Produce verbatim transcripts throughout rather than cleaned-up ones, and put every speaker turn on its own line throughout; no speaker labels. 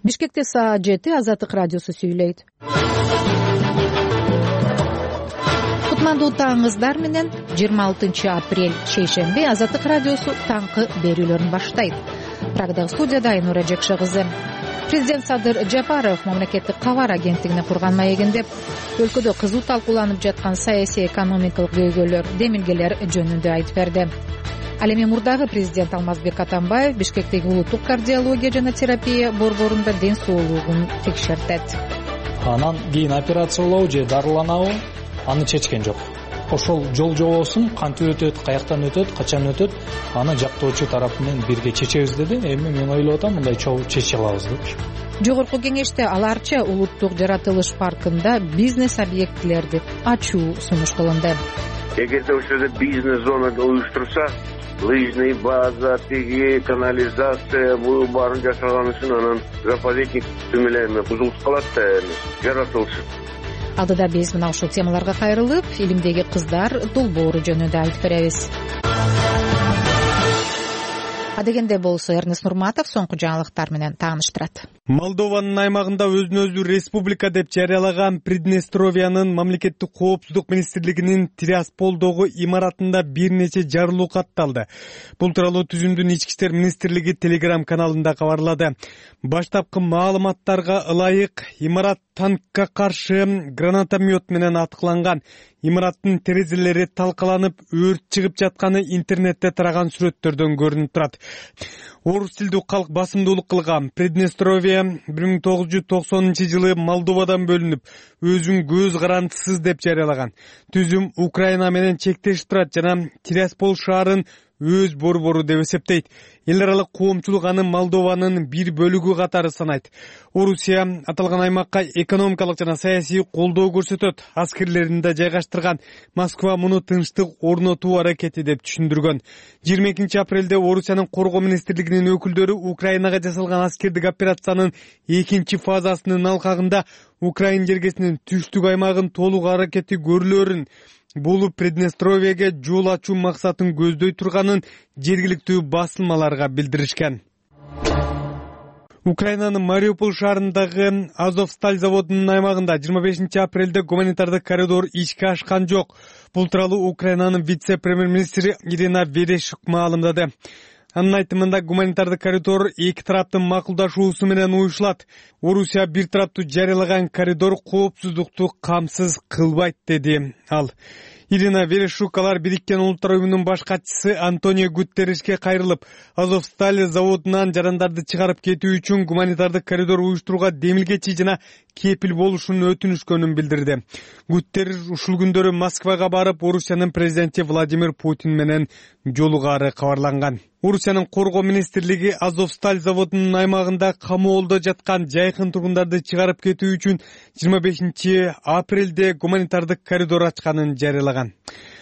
Бишкекте саат жети Азаттык радиосу сүйлөйт. Кутмандуу таңыңыздар менен жыйырма алтынчы апрель шейшемби Азаттык радиосу таңкы берүүлөрүн баштайт. Прагдагы студияда Айнура Жекше кызы. Президент Садыр Жапаров мамлекеттик кабар агенттигине курган маегинде өлкөдө кызуу талкууланып жаткан саясий экономикалык көйгөйлөр, демилгелер жөнүндө айтып берди. Ал эми мурдагы президент Алмазбек Атамбаев Бишкектеги улуттук кардиология жана терапия борборунда ден соолугун текшертет.
Анан кийин операциялоо же дарыланабы, аны чечкен жок. Ошол жол жобосун кантип өтөт, каяктан өтөт, качан өтөт, аны жактоочу тарап менен бирге чечебиз деди. Эми мен ойлоп атам, мындай чогуу чече алабыз деп.
Жогорку кеңеште аларча улуттук жаратылыш паркында бизнес объектилерди ачуу сунуш кылынды.
Эгерде ошол жерде бизнес зона уюштурса, лыжный база, тиги, канализация, бул баарын жасаган үчүн анан заповедник түмөлөрүнө бузулуп калат да, жаратылыш.
Алдыда биз мына ушул темаларга кайрылып, илимдеги кыздар долбоору жөнүндө айтып беребиз. Адегенде болсо Эрнест Нурматов соңку жаңылыктар менен тааныштырат.
Молдованын аймагында өзүн өзү республика деп жарыялаган Приднестровиянын мамлекеттик коопсуздук министрлигинин Тирасполдогу имаратында бир нече жарылуу катталды. Бул тууралуу түзүмдүн ички иштер министрлиги Telegram каналында кабарлады. Баштапкы маалыматтарга ылайык, имарат танкка каршы гранатомет менен аткыланган. Имараттын терезелери талкаланып, өрт чыгып жатканы интернетте тараган сүрөттөрдөн көрүнүп турат. Орус тилдүү калк басымдуулук кылган Приднестровия бир миң тогуз жүз токсонунчу жылы Молдовадан бөлүнүп, өзүн көз карандысыз деп жарыялаган. Түзүм Украина менен чектешип турат жана Тираспол шаарын өз борбору деп эсептейт. Эл аралык коомчулук аны Молдованын бир бөлүгү катары санайт. Орусия аталган аймакка экономикалык жана саясий колдоо көрсөтөт. Аскерлерин да жайгаштырган. Москва муну тынчтык орнотуу аракети деп түшүндүргөн. жыйырма экинчи апрелде Орусиянын коргоо министрлигинин өкүлдөрү Украинага жасалган аскердик операциянын экинчи фазасынын алкагында Украин жергесинин түштүк аймагын толук аракети көрүлөрүн, бул Приднестровияга жол ачуу максатын көздөй турганын жергиликтүү басылмаларга билдиришкен. Украинанын Мариуполь шаарындагы Азовсталь заводунун аймагында жыйырма бешинчи апрелде гуманитардык коридор ишке ашкан жок. Бул тууралуу Украинанын вице-премьер-министри Ирина Верещук маалымдады. Анын айтымында гуманитардык коридор эки тараптын макулдашуусу менен уюшулат. Орусия бир тараптуу жарыялаган коридор коопсуздукту камсыз кылбайт, деди ал. Ирина Верещук алар Бириккен Улуттар уюмунун баш катчысы Антонио Гутерришке кайрылып, Азовсталь заводунан жарандарды чыгарып кетүү үчүн гуманитардык коридор уюштурууга демилгечи жана кепил болушун өтүнүшкөнүн билдирди. Гутерриш ушул күндөрү Москвага барып, Орусиянын президенти Владимир Путин менен жолугаары кабарланган. Орусиянын коргоо министрлиги Азовсталь заводунун аймагында камоолдо жаткан жайкын тургундарды чыгарып кетүү үчүн жыйырма бешинчи апрелде гуманитардык коридор ачканын жарыялаган.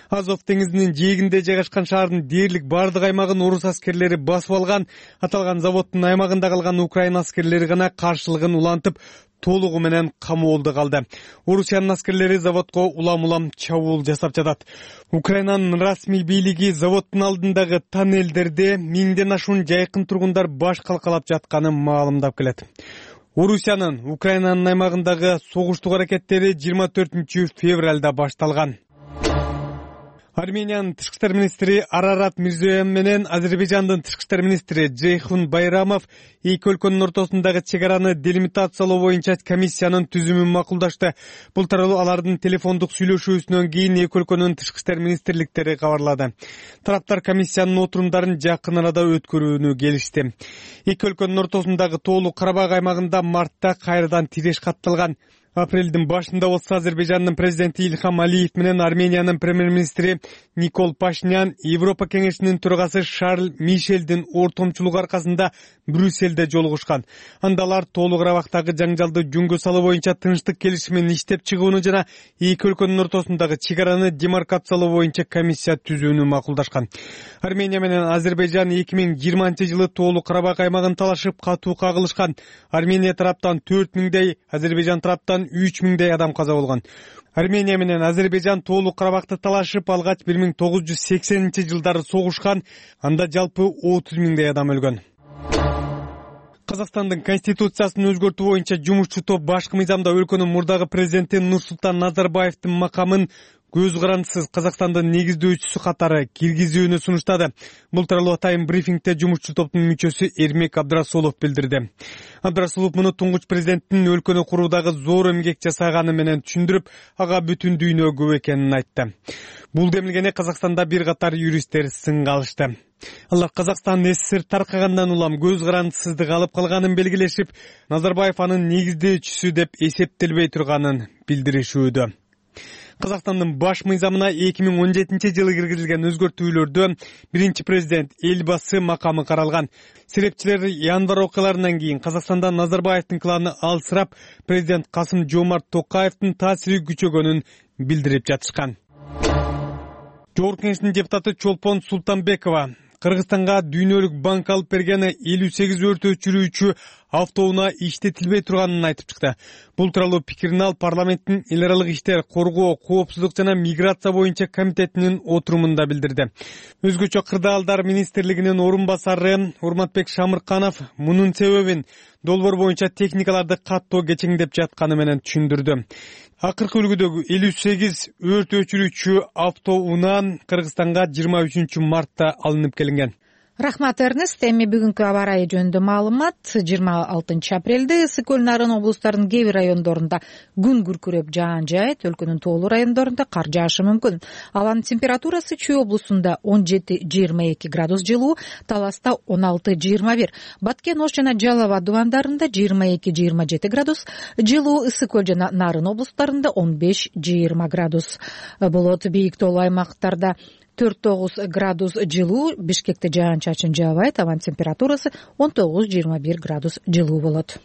Азов деңизинин жээгинде жайгашкан шаардын дээрлик бардык аймагын орус аскерлери басып алган. Аталган заводдун аймагында калган Украин аскерлери гана каршылыгын улантып, толугу менен камоолдо калды. Орусиянын аскерлери заводко улам-улам чабуул жасап жатат. Украинанын расмий бийлиги заводдун алдындагы тоннелдерде миңден ашуун жайкын тургундар баш калкалап жатканын маалымдап келет. Орусиянын Украинанын аймагындагы согуштук аракеттери жыйырма төртүнчү февралда башталган. Армениянын тышкы иштер министри Арарат Мирзоян менен Азербайжандын тышкы иштер министри Джейхун Байрамов эки өлкөнүн ортосундагы чек араны делимитациялоо боюнча комиссиянын түзүмүн макулдашты. Бул тууралуу алардын телефондук сүйлөшүүсүнөн кийин эки өлкөнүн тышкы иштер министрликтери кабарлады. Тараптар комиссиянын отурумдарын жакын арада өткөрүүнү келишти. Эки өлкөнүн ортосундагы Тоолуу Карабак аймагында мартта кайрадан тиреш катталган. Апрелдин башында болсо Азербайжандын президенти Ильхам Алиев менен Армениянын премьер-министри Никол Пашинян Европа кеңешинин төрагасы Шарль Мишелдин ортомчулугу аркасында Брюссельде жолугушкан. Анда алар Тоолуу Карабактагы жаңжалды жөнгө салуу боюнча тынчтык келишимин иштеп чыгууну жана эки өлкөнүн ортосундагы чек араны демаркациялоо боюнча комиссия түзүүнү макулдашкан. Армения менен Азербайжан эки миң жыйырманчы жылы Тоолуу Карабак аймагын талашып катуу кагылышкан. Армения тараптан төрт миңдей, Азербайжан тараптан үч миңдей адам каза болгон. Армения менен Азербайжан Тоолуу Карабакты талашып алгач бир миң тогуз жүз сексенинчи жылдары согушкан. Анда жалпы отуз миңдей адам өлгөн. Казакстандын конституциясын өзгөртүү боюнча жумушчу топ башкы мыйзамда өлкөнүн мурдагы президенти Нурсултан Назарбаевдин макамын көз карандысыз Казакстандын негиздөөчүсү катары киргизүүнү сунуштады. Бул тууралуу атайын брифингде жумушчу топтун мүчөсү Эрмек Абдрасулов билдирди. Абдрасулов муну туңгуч президенттин өлкөнү куруудагы зор эмгек жасаганы менен түшүндүрүп, ага бүтүн дүйнө күбө экенин айтты. Бул демилгени Казакстанда бир катар юристтер сынга алышты. Алар Казакстан СССР таркагандан улам көз карандысыздык алып калганын белгилешип, Назарбаев анын негиздөөчүсү деп эсептелбей турганын билдиришүүдө. Казакстандын баш мыйзамына эки миң он жетинчи жылы киргизилген өзгөртүүлөрдө биринчи президент Элбасы макамы каралган. Серепчилер январь окуяларынан кийин Казакстанда Назарбаевдин кланы алсырап, президент Касым Жомарт Токаевдин таасири күчөгөнүн билдирип жатышкан. Жогорку Кеңештин депутаты Чолпон Султанбекова Кыргызстанга дүйнөлүк банк алып берген элүү сегиз өрт өчүрүүчү автоунаа иштетилбей турганын айтып чыкты. Бул тууралуу пикирин ал парламенттин эл аралык иштер, коргоо, коопсуздук жана миграция боюнча комитетинин отурумунда билдирди. Өзгөчө кырдаалдар министрлигинин орун басары Урматбек Шамырканов мунун себебин долбоор боюнча техникаларды каттоо кечеңдеп жатканы менен түшүндүрдү. Акыркы үлгүдөгү элүү сегиз өрт өчүрүүчү автоунаа Кыргызстанга жыйырма үчүнчү мартта алынып келинген.
Рахмат, Эрнест. Эми бүгүнкү аба ырайы жөнүндө маалымат. жыйырма алтынчы апрелде ысык көл нарын облустарынын кээ бир райондорунда күн күркүрөп жаан жаайт, өлкөнүн тоолуу райондорунда кар жаашы мүмкүн. Абанын температурасы Чүй облусунда он жети жыйырма эки градус жылуу, Таласта он алты жыйырма бир, Баткен, Ош жана Жалал Абад дубандарында жыйырма эки жыйырма жети градус жылуу, ысык көл жана нарын облустарында он беш жыйырма градус болот. Бийик тоолуу аймактарда төрт тогуз градус жылуу, Бишкекте жаан чачын жаабайт, абанын температурасы он тогуз жыйырма бир градус жылуу болот.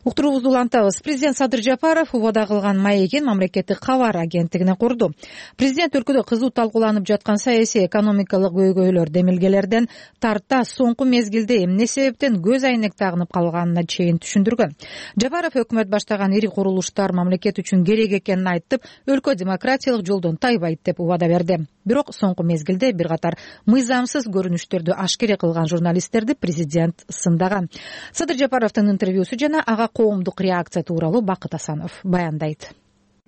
Уктуруубузду улантабыз. Президент Садыр Жапаров убада кылган маегин мамлекеттик кабар агенттигине курду. Президент өлкөдө кызуу талкууланып жаткан саясий экономикалык көйгөйлөр, демилгелерден тарта соңку мезгилде эмне себептен көз айнек тагынып калганына чейин түшүндүргөн. Жапаров өкмөт баштаган ири курулуштар мамлекет үчүн керек экенин айтып, өлкө демократиялык жолдон тайбайт деп убада берди. Бирок соңку мезгилде бир катар мыйзамсыз көрүнүштөрдү ашкере кылган журналисттерди президент сындаган. Садыр Жапаровдун интервьюсу жана ага коомдук реакция тууралуу Бакыт Асанов баяндайт.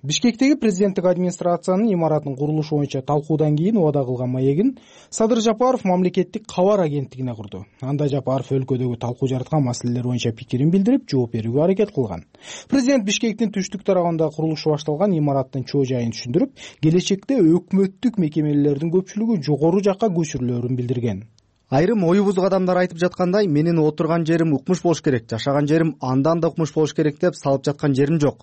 Бишкектеги президенттик администрациянын имаратынын курулушу боюнча талкуудан кийин убада кылган маегин Садыр Жапаров мамлекеттик кабар агенттигине курду. Анда Жапаров өлкөдөгү талкуу жараткан маселелер боюнча пикирин билдирип, жооп берүүгө аракет кылган. Президент Бишкектин түштүк тарабында курулушу башталган имараттын чоо жайын түшүндүрүп, келечекте өкмөттүк мекемелердин көпчүлүгү жогору жакка көчүрүлөрүн билдирген.
Айрым ою бузук адамдар айтып жаткандай, менин отурган жерим укмуш болуш керек, жашаган жерим андан да укмуш болуш керек деп салып жаткан жерим жок.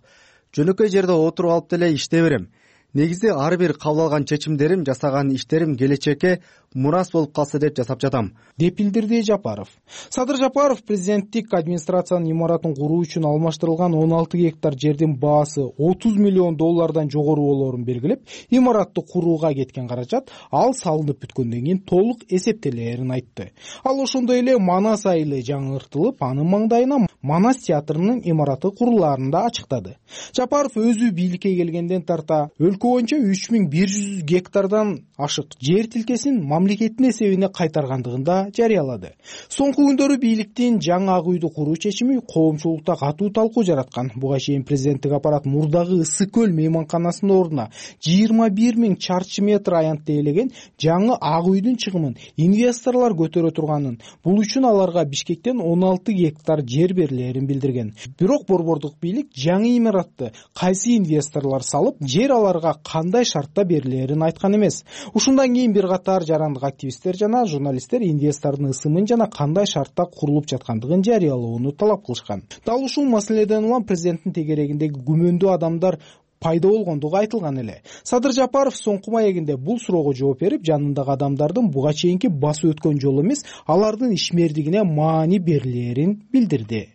Жөнөкөй жерде отуруп алып деле иштей берем. Негизи ар бир кабыл алган чечимдерим, жасаган иштерим келечекке мурас болуп калса деп жасап жатам,
деп билдирди Жапаров. Садыр Жапаров президенттик администрациянын имаратын куруу үчүн алмаштырылган он алты гектар жердин баасы отуз миллион доллардан жогору болоорун белгилеп, имаратты курууга кеткен каражат ал салынып бүткөндөн кийин толук эсептелерин айтты. Ал ошондой эле Манас айылы жаңыртылып, анын маңдайына Манас театрынын имараты курулаарын да ачыктады. Жапаров өзү бийликке келгенден тарта өлкө боюнча үч миң бир жүз гектардан ашык жер тилкесин мамлекеттин эсебине кайтаргандыгын да жарыялады. Соңку күндөрү бийликтин жаңы Ак үйдү куруу чечими коомчулукта катуу талкуу жараткан. Буга чейин президенттик аппарат мурдагы Ысык көл мейманканасынын ордуна жыйырма бир миң чарчы метр аянтты ээлеген жаңы Ак үйдүн чыгымын инвесторлор көтөрө турганын, бул үчүн аларга Бишкектен он алты гектар жер берилерин билдирген. Бирок борбордук бийлик жаңы имаратты кайсы инвесторлор салып, жер аларга кандай шартта берилерин айткан эмес. Ушундан кийин бир катар жарандык активисттер жана журналисттер инвестордун ысымын жана кандай шартта курулуп жаткандыгын жарыялоону талап кылышкан. Дал ушул маселеден улам президенттин тегерегиндеги күмөндүү адамдар пайда болгондугу айтылган эле. Садыр Жапаров соңку маегинде бул суроого жооп берип, жанындагы адамдардын буга чейинки басып өткөн жолу эмес, алардын ишмердигине маани берилерин билдирди.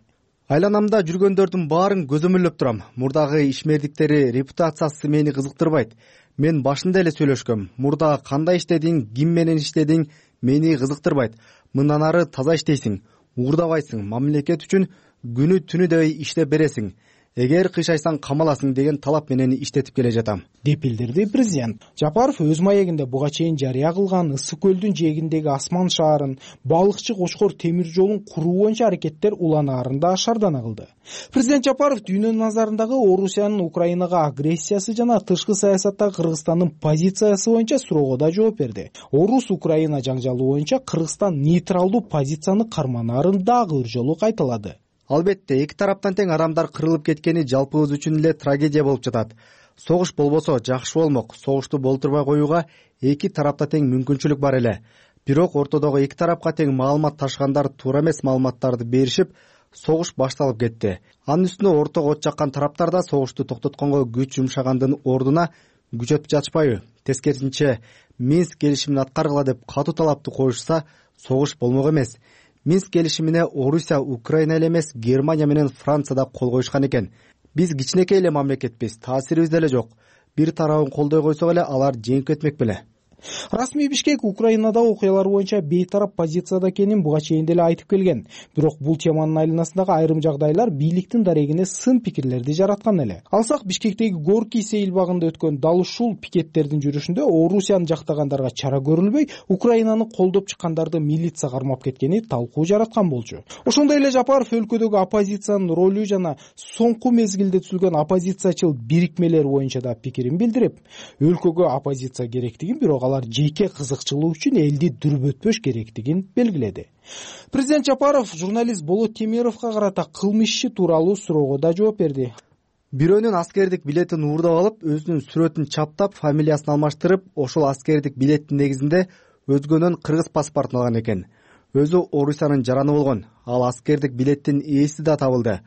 Айланамда жүргөндөрдүн баарын көзөмөлдөп турам. Мурдагы ишмердиктери репутациясы мени кызыктырбайт. Мен башында эле сүйлөшкөм. Мурда кандай иштедиң, ким менен иштедиң, мени кызыктырбайт. Мындан ары таза иштейсиң, уурдабайсың, мамлекет үчүн күнү түнү дебей иштеп бересиң. эгер кыйшайсаң камаласың деген талап менен иштетип келе жатам,
деп билдирди президент. Жапаров өз маегинде буга чейин жарыя кылган Ысык көлдүн жээгиндеги Асман шаарын, балыкчы Кочкор темир жолун куруу боюнча аракеттер уланаарында шаардана кылды. Президент Жапаров дүйнөнүн назарындагы Орусиянын Украинага агрессиясы жана тышкы саясаттагы Кыргызстандын позициясы боюнча суроого да жооп берди. Орус-Украина жаңжалы боюнча Кыргызстан нейтралдуу позицияны карманаарын дагы бир жолу кайталады.
Албетте, эки тараптан тең адамдар кырылып кеткени жалпыбыз үчүн эле трагедия болуп жатат. Согуш болбосо жакшы болмок. Согушту болтурбай коюуга эки тарапта тең мүмкүнчүлүк бар эле. Бирок ортодогу эки тарапка тең маалымат ташыгандар туура эмес маалыматтарды беришип, согуш башталып кетти. Анын үстүнө ортого от жаккан тараптар да согушту токтотконго күч жумшагандын ордуна күч өтүп жатышпайбы? Тескерисинче, Минск келишимин аткаргыла деп катуу талапты коюшса, согуш болмок эмес. Минск келишимине Орусия, Украина эле эмес, Германия менен Франция да кол коюшкан экен. Биз кичинекей эле мамлекетпиз, таасирибиз деле жок. Бир тарабын колдой койсок эле алар жеңип кетмек беле. Расмий Бишкек Украинадагы окуялар боюнча бейтарап позицияда экенин буга чейин деле айтып келген. Бирок бул теманын айланасындагы айрым жагдайлар бийликтин дарегине сын пикирлерди жараткан эле. Алсак, Бишкектеги Горький сейилбагында өткөн дал ушул пикеттердин жүрүшүндө Орусияны жактагандарга чара көрүлбөй, Украинаны колдоп чыккандарды милиция кармап кеткени талкуу жараткан болчу. Ошондой эле Жапаров өлкөдөгү оппозициянын ролу жана соңку мезгилде түзүлгөн оппозициячыл бирикмелер боюнча да пикирин билдирип, өлкөгө оппозиция керектигин, бирок алар жеке кызыкчылык үчүн элди дүрбөтпөш керектигин белгиледи. Президент Жапаров журналист Болот Темировго карата кылмыш иши тууралуу суроого да жооп берди. Бирөөнүн аскердик билетин уурдап алып, өзүнүн сүрөтүн чаптап, фамилиясын алмаштырып, ошол аскердик билеттин негизинде өзгөнүн кыргыз паспортун алган экен. Өзү Орусиянын жараны болгон. Ал аскердик билеттин ээси да табылды.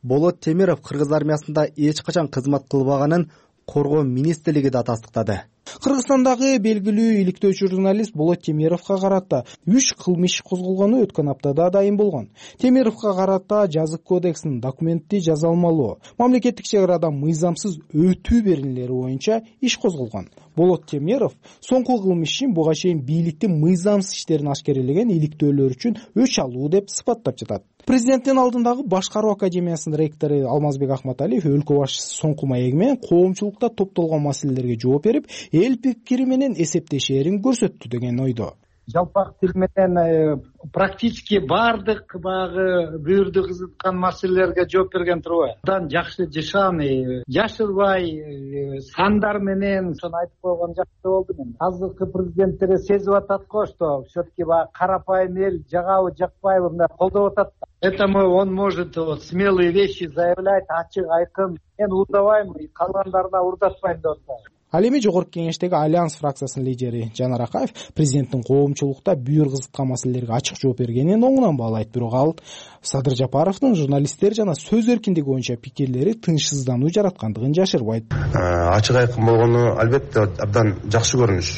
Болот Темиров кыргыз армиясында эч качан кызмат кылбаганын Коргоо министрлиги да тастыктады. Кыргызстандагы белгилүү иликтөөчү журналист Болот Темировго карата үч кылмыш козголгону өткөн аптада дайын болгон. Темировго карата жазык кодексинин документти жаза алмалоо, мамлекеттик чек арадан мыйзамсыз өтүү берилери боюнча иш козголгон. Болот Темиров соңку кылмыш ишин буга чейин бийликтин мыйзамсыз иштерин ашкерелеген иликтөөлөр үчүн өч алуу деп сыпаттап жатат. Президенттин алдындагы башкаруу академиясынын ректору Алмазбек Ахматалиев өлкө башчысы соңку маеги менен коомчулукта топтолгон маселелерге жооп берип, эл пикири менен эсептешээрин көрсөттү деген ойдо.
Жалпак тил менен практически баардык багы бүйүрдү кызыткан маселелерге жооп берген турбайбы? Андан жакшы жашан, жашырбай, сандар менен ошону айтып койгон жакшы болду мен. Азыркы президенттер сезип атат го, что все-таки карапайым эл жагабы жакпайбы мына колдоп атат. Поэтому он может вот смелые вещи заявлять, ачык айкын. Мен уурдабайм, калгандарына уурдатпайм деп атат.
Ал эми жогорку кеңештеги Альянс фракциясынын лидери Жанар Акаев президенттин коомчулукта бүйүр кызыткан маселелерге ачык жооп бергенин оңунан баалайт. Бирок ал Садыр Жапаровдун журналисттер жана сөз эркиндиги боюнча пикирлери тынчсыздануу жараткандыгын жашырбайт.
Ачык айкын болгону албетте абдан жакшы көрүнүш.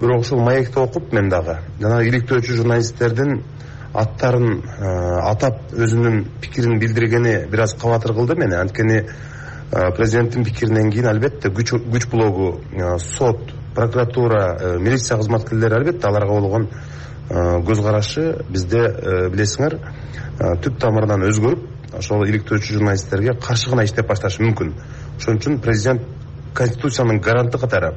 Бирок ушул маекти окуп мен дагы жана иликтөөчү журналисттердин аттарын атап өзүнүн пикирин билдиргени бир аз кабатыр кылды мени. Анткени президенттин пикиринен кийин албетте күч күч блогу, сот, прокуратура, милиция кызматкерлери албетте аларга болгон көз карашы бизде билесиңер түп тамырынан өзгөрүп, ошол иликтөөчү журналисттерге каршы гана иштеп башташы мүмкүн. Ошон үчүн президент конституциянын гаранты катары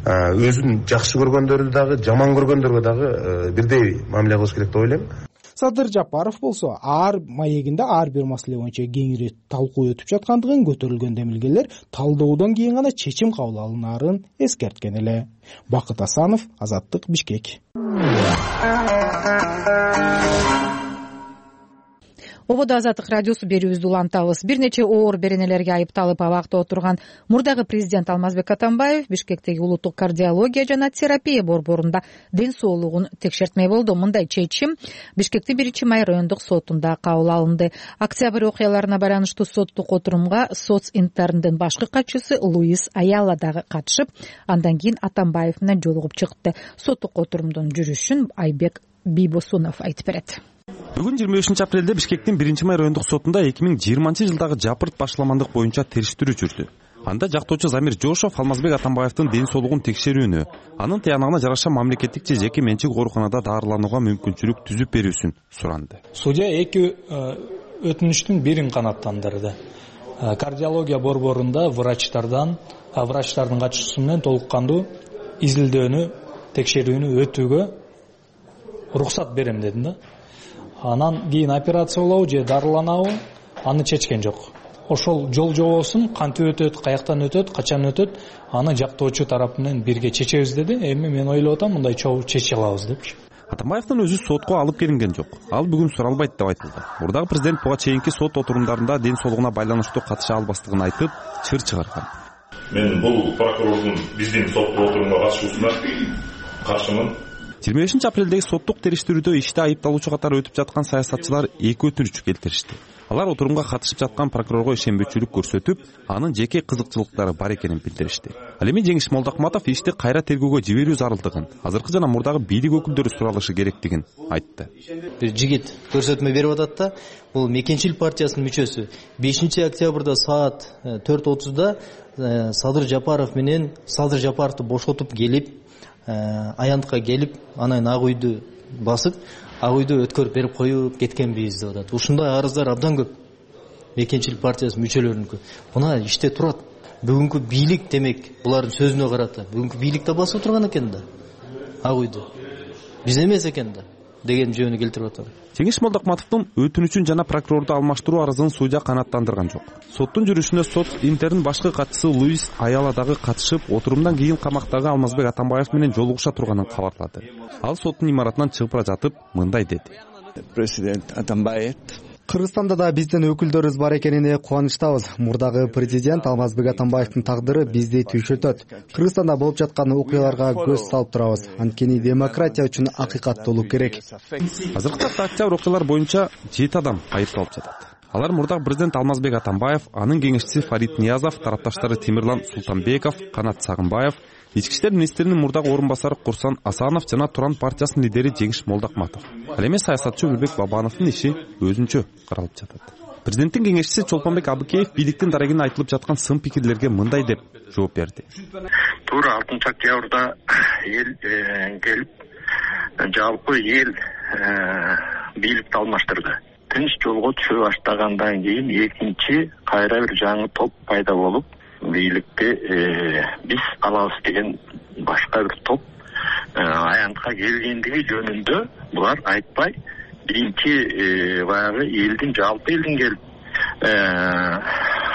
өзүн жакшы көргөндөрдү дагы, жаман көргөндөргө дагы бирдей мамиле кылыш керек деп ойлойм.
Садыр Жапаров болсо ар маегинде ар бир маселе боюнча кеңири талкуу өтүп жаткандыгын, көтөрүлгөн демилгелер талдоодон кийин гана чечим кабыл алынаарын эскерткен эле. Бакыт Асанов, Азаттык, Бишкек.
Ободо Азаттык радиосу берүүбүздү улантабыз. Бир нече оор беренелерге айыпталып абакта отурган мурдагы президент Алмазбек Атамбаев Бишкектеги улуттук кардиология жана терапия борборунда ден соолугун текшертмей болду. Мындай чечим Бишкектин биринчи май райондук сотунда кабыл алынды. Октябрь окуяларына байланыштуу соттук отурумга соц интерндин башкы катчысы Луис Аяла дагы катышып, андан кийин Атамбаев менен жолугуп чыкты. Соттук отурумдун жүрүшүн Айбек Бийбосунов айтып берет.
Бүгүн жыйырма бешинчи апрелде Бишкектин биринчи май райондук сотунда эки миң жыйырманчы жылдагы жапырт башламандык боюнча териштирүү жүрдү. Анда жактоочу Замир Жошов Алмазбек Атамбаевдин ден соолугун текшерүүнү, анын тыянагына жараша мамлекеттик же жеке менчик ооруканада даарыланууга мүмкүнчүлүк түзүп берүүсүн суранды.
Судья эки өтүнүштүн бирин канааттандырды. кардиология борборунда врачтардан врачтардын катышуусу менен толук кандуу изилдөөнү текшерүүнү өтүүгө уруксат берем дедим да. Анан кийин операциялоо же дарыланабы аны чечкен жок. Ошол жол жобосун кантип өтөт, каяктан өтөт, качан өтөт, аны жактоочу тарап менен бирге чечебиз деди. Эми мен ойлоп атам мындай чогуу чече алабыз депчи.
Атамбаевдин өзү сотко алып келинген жок. Ал бүгүн суралбайт деп айтылды. Мурдагы президент буга чейинки сот отурумдарында ден соолугуна байланыштуу катыша албастыгын айтып, чыр чыгарган.
Мен бул прокурордун биздин сот отурумга катышуусуна каршымын.
жыйырма бешинчи апрелдеги соттук териштирүүдө иште айыпталуучу катары өтүп жаткан саясатчылар эки өтүнүч келтиришти. Алар отурумга катышып жаткан прокурорго ишенбөчүлүк көрсөтүп, анын жеке кызыкчылыктары бар экенин билдиришти. Ал эми Жеңиш Молдокматов ишти кайра тергөөгө жиберүү зарылдыгын, азыркы жана мурдагы бийлик өкүлдөрү суралышы керектигин айтты.
Бир жигит көрсөтмө берип атат да, бул Мекенчил партиясынын мүчөсү. бешинчи октябрда саат төрт отузда Садыр Жапаров менен Садыр Жапаровду бошотуп келип, аянтка келип, анан ак үйдү басып, ак үйдү өткөрүп берип коюп кеткенбиз деп атат. Ушундай арыздар абдан көп. Мекенчил партиясы мүчөлөрүнүкү. Мына иште турат. Бүгүнкү бийлик демек булардын сөзүнө карата. Бүгүнкү бийлик да басып турган экен да. Ак үйдү. Биз эмес экен да деген жөнү келтирип атат.
Жеңиш Молдокматовдун өтүнүчүн жана прокурорду алмаштыруу арызын судья канааттандырган жок. Соттун жүрүшүнө сот Интердин башкы катчысы Луис Аяла дагы катышып, отурумдан кийин камактагы Алмазбек Атамбаев менен жолугуша турганын кабарлады. Ал соттун имаратынан чыгып бара жатып мындай деди.
Президент Атамбаев
Кыргызстанда да биздин өкүлдөрүбүз бар экенине кубанычтабыз. Мурдагы президент Алмазбек Атамбаевдин тагдыры бизди түйшөтөт. Кыргызстанда болуп жаткан окуяларга көз салып турабыз. Анткени демократия үчүн акыйкат болуу керек.
Азыркы тапта октябрь окуялар боюнча жети адам айыпталып жатат. Алар мурдагы президент Алмазбек Атамбаев, анын кеңешчиси Фарид Ниязов, тарапташтары Темирлан Султанбеков, Канат Сагынбаев, Ички иштер министринин мурдагы орун басары Курсан Асанов жана Туран партиясынын лидери Жеңиш Молдокматов. Ал эми саясатчы Өмүрбек Бабановдун иши өзүнчө каралып жатат. Президенттин кеңешчиси Чолпонбек Абыкеев бийликтин дарегине айтылып жаткан сын пикирлерге мындай деп жооп берди.
Туура алтынчы октябрда эл келип, жалпы эл бийликти алмаштырды. Тынч жолго түшө баштагандан кийин экинчи кайра бир жаңы топ пайда болуп, бийликти биз алабыз деген башка бир топ аянтка келгендиги жөнүндө булар айтпай, биринчи баягы элдин жалпы элдин келип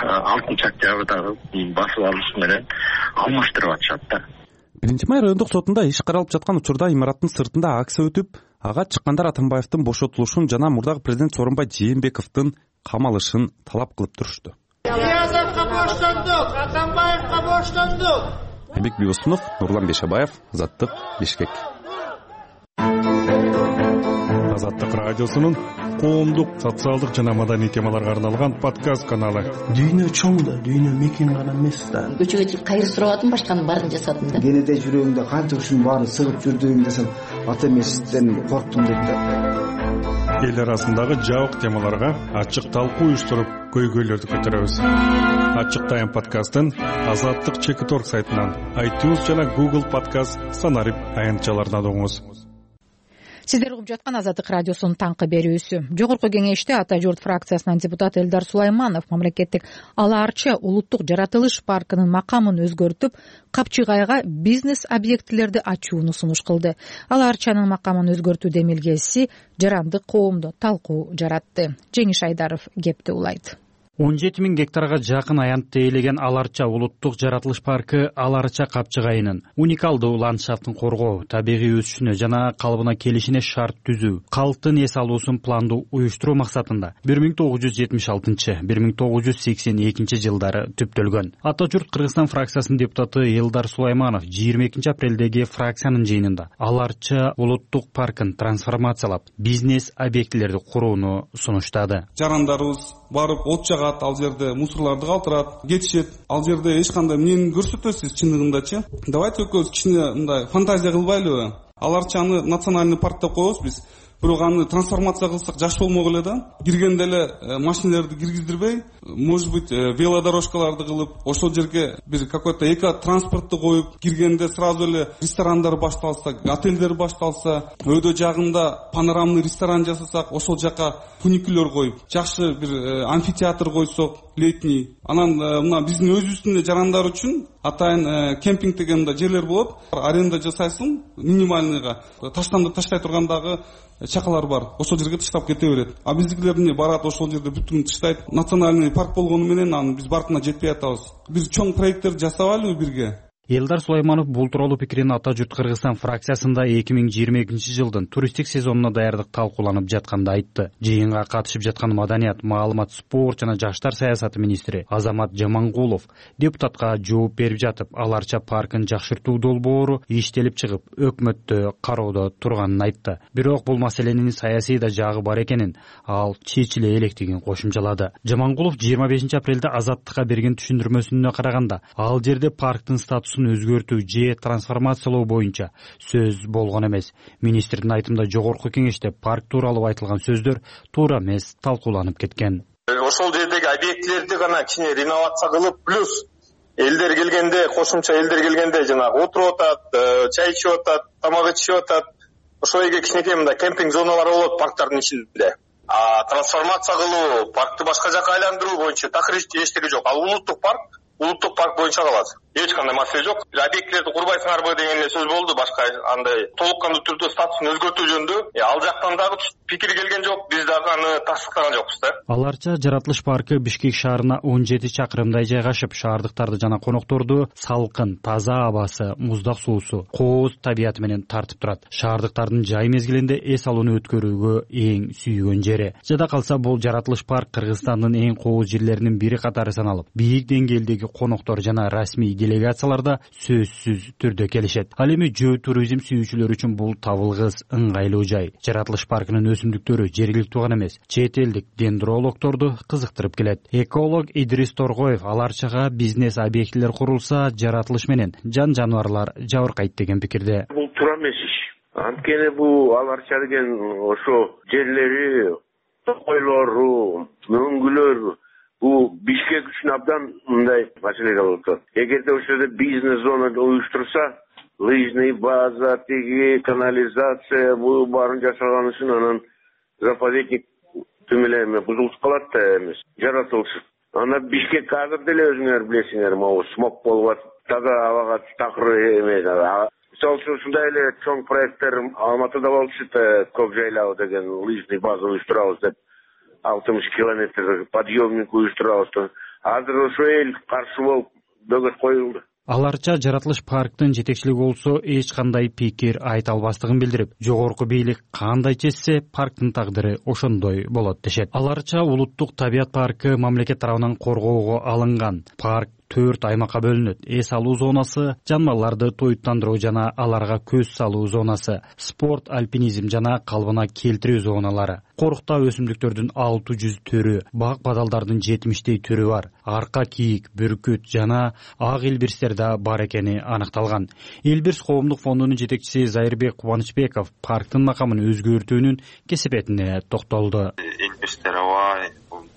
алтынчы октябрдагы басып алышы менен алмаштырып атышат да.
Биринчи май райондук сотунда иш каралып жаткан учурда имараттын сыртында акция өтүп, ага чыккандар Атамбаевдин бошотулушун жана мурдагы президент Сооронбай Жээнбековдун камалышын талап кылып турушту.
Ниязовго боштондук, Атамбаевго боштондук.
Айбек Бибосунов, Нурлан Бешебаев, Азаттык, Бишкек.
Азаттык радиосунун коомдук, социалдык жана маданий темаларга арналган подкаст каналы.
Дүйнө чоң да, дүйнө мекен гана эмес да.
Көчөгө чыгып кайыр сурап атам, башканын баарын жасадым да.
Кенеде жүрөгүмдө канча ушунун баарын сыгып жүрдүм десем, ата эместен корктум дейт да.
Эл арасындагы жабык темаларга ачык талкуу уюштуруп, көйгөйлөрдү көтөрөбүз. Ачык тайм подкастын Азаттык чекит точка орг сайтынан, iTunes жана Google подкаст санарип аянтчаларынан угуңуз.
Сиздер угуп жаткан Азаттык радиосунун таңкы берүүсү. Жогорку кеңеште Ата журт фракциясынан депутат Элдар Сулайманов мамлекеттик Ала Арча улуттук жаратылыш паркынын макамын өзгөртүп, Капчыгайга бизнес объектилерди ачууну сунуш кылды. Ала Арчанын макамын өзгөртүү демилгеси жарандык коомдо талкуу жаратты. Жеңиш Айдаров кепти улайт.
он жети миң гектарга жакын аянтты ээлеген Ала Арча улуттук жаратылыш паркы Ала Арча Капчыгайынын уникалдуу ландшафтын коргоо, табигый өсүшүнө жана калыбына келишине шарт түзүү, калктын эс алуусун пландуу уюштуруу максатында бир миң тогуз жүз жетимиш алтынчы — бир миң тогуз жүз сексен экинчи жылдары түптөлгөн. Ата журт Кыргызстан фракциясынын депутаты Элдар Сулайманов жыйырма экинчи апрелдеги фракциянын жыйынында Ала Арча улуттук паркын трансформациялап, бизнес объектилерди курууну сунуштады.
Жарандарыбыз барып от жагат, ал жерде мусорларды калтырат, кетишет. Ал жерде эч кандай эмнени көрсөтөсүз чындыгындачы. Давайте экөөбүз кичине мындай фантазия кылбайлыбы? Ала Арчаны национальный парк деп коебуз биз. бирок аны трансформация кылсак жакшы болмок эле да. Киргенде эле машиналарды киргиздирбей, может быть, велодорожкаларды кылып, ошол жерге бир какой-то эко транспортты коюп, киргенде сразу эле ресторандар башталса, отелдер башталса, өйдө жагында панорамный ресторан жасасак, ошол жака фуникулер коюп, жакшы бир амфитеатр койсок, летний. Анан мына биздин өзүбүздүн жарандар үчүн атайын кемпинг деген да жерлер болот. Аренда жасайсың минимальныйга. Таштанды таштай тургандагы чакалар бар. Ошол жерге таштап кете берет. А биздикилер эмне барат, ошол жерде бүтүн таштайт. Национальный парк болгону менен аны биз бартына жетпей атабыз. Биз чоң проекттер жасабайлыбы бирге?
Элдар Сулайманов бул тууралуу пикирин Ата журт Кыргызстан фракциясында эки миң жыйырма экинчи жылдын туристтик сезонуна даярдык талкууланып жатканда айтты. Жыйынга катышып жаткан Маданият, маалымат, спорт жана жаштар саясаты министри Азамат Жамангулов депутатка жооп берип жатып, Аларча паркын жакшыртуу долбоору иштелип чыгып, өкмөттө кароодо турганын айтты. Бирок бул маселенин саясий да жагы бар экенин, ал чечиле электигин кошумчалады. Жамангулов жыйырма бешинчи апрелде Азаттыкка берген түшүндүрмөсүнө караганда, ал жерде парктын статусун өзгөртүү же трансформациялоо боюнча сөз болгон эмес. Министрдин айтымында жогорку кеңеште парк тууралуу айтылган сөздөр туура эмес талкууланып кеткен.
Ошол жердеги объектилерди гана кичине реновация кылып, плюс элдер келгенде, кошумча элдер келгенде жанагы отуруп атат, чай ичип атат, тамак ичип атат. Ошол жерге кичинекей мындай кемпинг зоналары болот парктардын ичинде. А трансформация кылуу, паркты башка жака айландыруу боюнча такыр эчтеги жок. Ал улуттук парк, улуттук парк боюнча калат. Эч кандай маселе жок. Объектилерди курбайсыңарбы деген эле сөз болду, башка андай толуккандуу түрдө статусун өзгөртүү жөнүндө. Ал жактан дагы пикир келген жок, биз дагы аны тастыктаган жокпуз да.
Аларча жаратылыш паркы Бишкек шаарына он жети чакырымдай жайгашып, шаардыктарды жана конокторду салкын, таза абасы, муздак суусу, кооз табияты менен тартып турат. Шаардыктардын жай мезгилинде эс алууну өткөрүүгө эң сүйгөн жери. Жада калса, бул жаратылыш парк Кыргызстандын эң кооз жерлеринин бири катары саналып, бийик деңгээлдеги коноктор жана расмий делегацияларда сөзсүз түрдө келишет. Ал эми жөө туризм сүйүүчүлөр үчүн бул табылгыс, ыңгайлуу жай. Жаратылыш паркынын өсүмдүктөрү жергиликтүү гана эмес, чет элдик дендрологторду кызыктырып келет. Эколог Идрис Торгоев Аларчага бизнес объектилер курулса, жаратылыш менен жан жаныбарлар жабыркайт деген пикирде.
Бул туура эмес иш. Анткени бул Аларча деген ошо жерлери, тойлору, мөңгүлөр бул Бишкек үчүн абдан мындай маселеге болуп атат. Эгерде ошол жерде бизнес зона уюштурса, лыжный база, тиги канализация бул баарын жасаган үчүн анан заповедник түмөлөмө бузулуп калат да эмес, жаратылышып. Анда Бишкек азыр деле өзүңөр билесиңер, могу смог болуп атат, таза абага такыр эмес. Мисалы үчүн ушундай эле чоң проекттер Алматыда болчу, Көк жайлау деген лыжный база уюштурабыз деп алтымыш километр подъемник уюштурабыз. Азыр ошо эл каршы болуп бөгөт коюлду.
Аларча жаратылыш парктын жетекчилиги болсо эч кандай пикир айта албастыгын билдирип, жогорку бийлик кандай чечсе, парктын тагдыры ошондой болот дешет. Аларча улуттук табият паркы мамлекет тарабынан коргоого алынган. Парк төрт аймакка бөлүнөт. Эс алуу зонасы, жаныбарларды тоюттандыруу жана аларга көз салуу зонасы, спорт, альпинизм жана калыбына келтирүү зоналары. Корукта өсүмдүктөрдүн алты жүз түрү, бак бадалдардын жетимиштей түрү бар. Арка кийик, бүркүт жана ак илбирстер да бар экени аныкталган. Илбирс коомдук фондунун жетекчиси Зайырбек Кубанычбеков парктын макамын өзгөртүүнүн кесепетине токтолду.
Илбирстер бай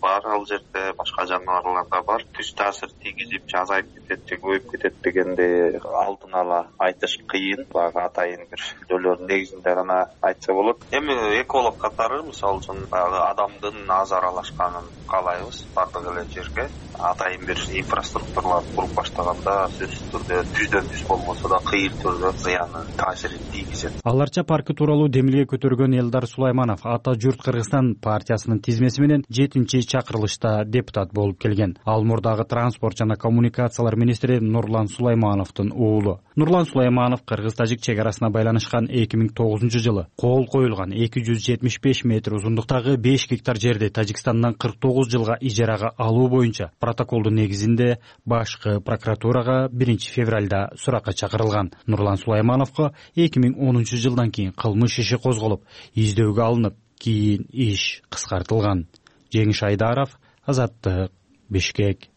бар, ал жерде башка жаныбарлар да бар. Түз таасир тийгизип, азайып кетет же көбөйүп кетет дегенде алдын ала айтыш кыйын. Багы атайын бир сүйлөөлөрдүн негизинде гана айтса болот. Эми эколог катары, мисалы үчүн, адамдын аз аралашканын каалайбыз бардык эле жерге. Атайын бир инфраструктуралар куруп баштаганда сөзсүз түрдө түздөн түз болбосо да кыйын түрдө зыяны таасирин тийгизет.
Аларча паркы тууралуу демилге көтөргөн Элдар Сулайманов Ата журт Кыргызстан партиясынын тизмеси менен жетинчи чакырылышта депутат болуп келген. Ал мурдагы транспорт жана коммуникациялар министри Нурлан Сулаймановдун уулу. Нурлан Сулайманов Кыргыз-Тажик чек арасына байланышкан эки миң тогузунчу жылы кол коюлган эки жүз жетимиш беш метр узундуктагы беш гектар жерди Тажикстандан кырк тогуз жылга ижарага алуу боюнча протоколдун негизинде башкы прокуратурага биринчи февралда суракка чакырылган. Нурлан Сулаймановго эки миң онунчу жылдан кийин кылмыш иши козголуп, издөөгө алынып, кийин иш кыскартылган. Жеңиш Айдаров, Азаттык, Бишкек.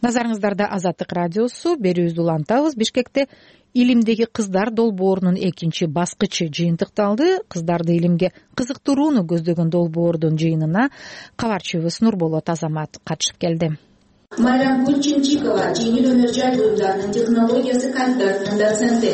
Назарыңыздарда Азаттык радиосу. Берүүбүздү улантабыз. Бишкекте илимдеги кыздар долбоорунун экинчи баскычы жыйынтыкталды. Кыздарды илимге кызыктырууну көздөгөн долбоордун жыйынына кабарчыбыз Нурболот Азамат катышып келди.
Майрам Кунчинчикова жеңил өнөр жай буюмдарынын технологиясы кафедрасынын доценти.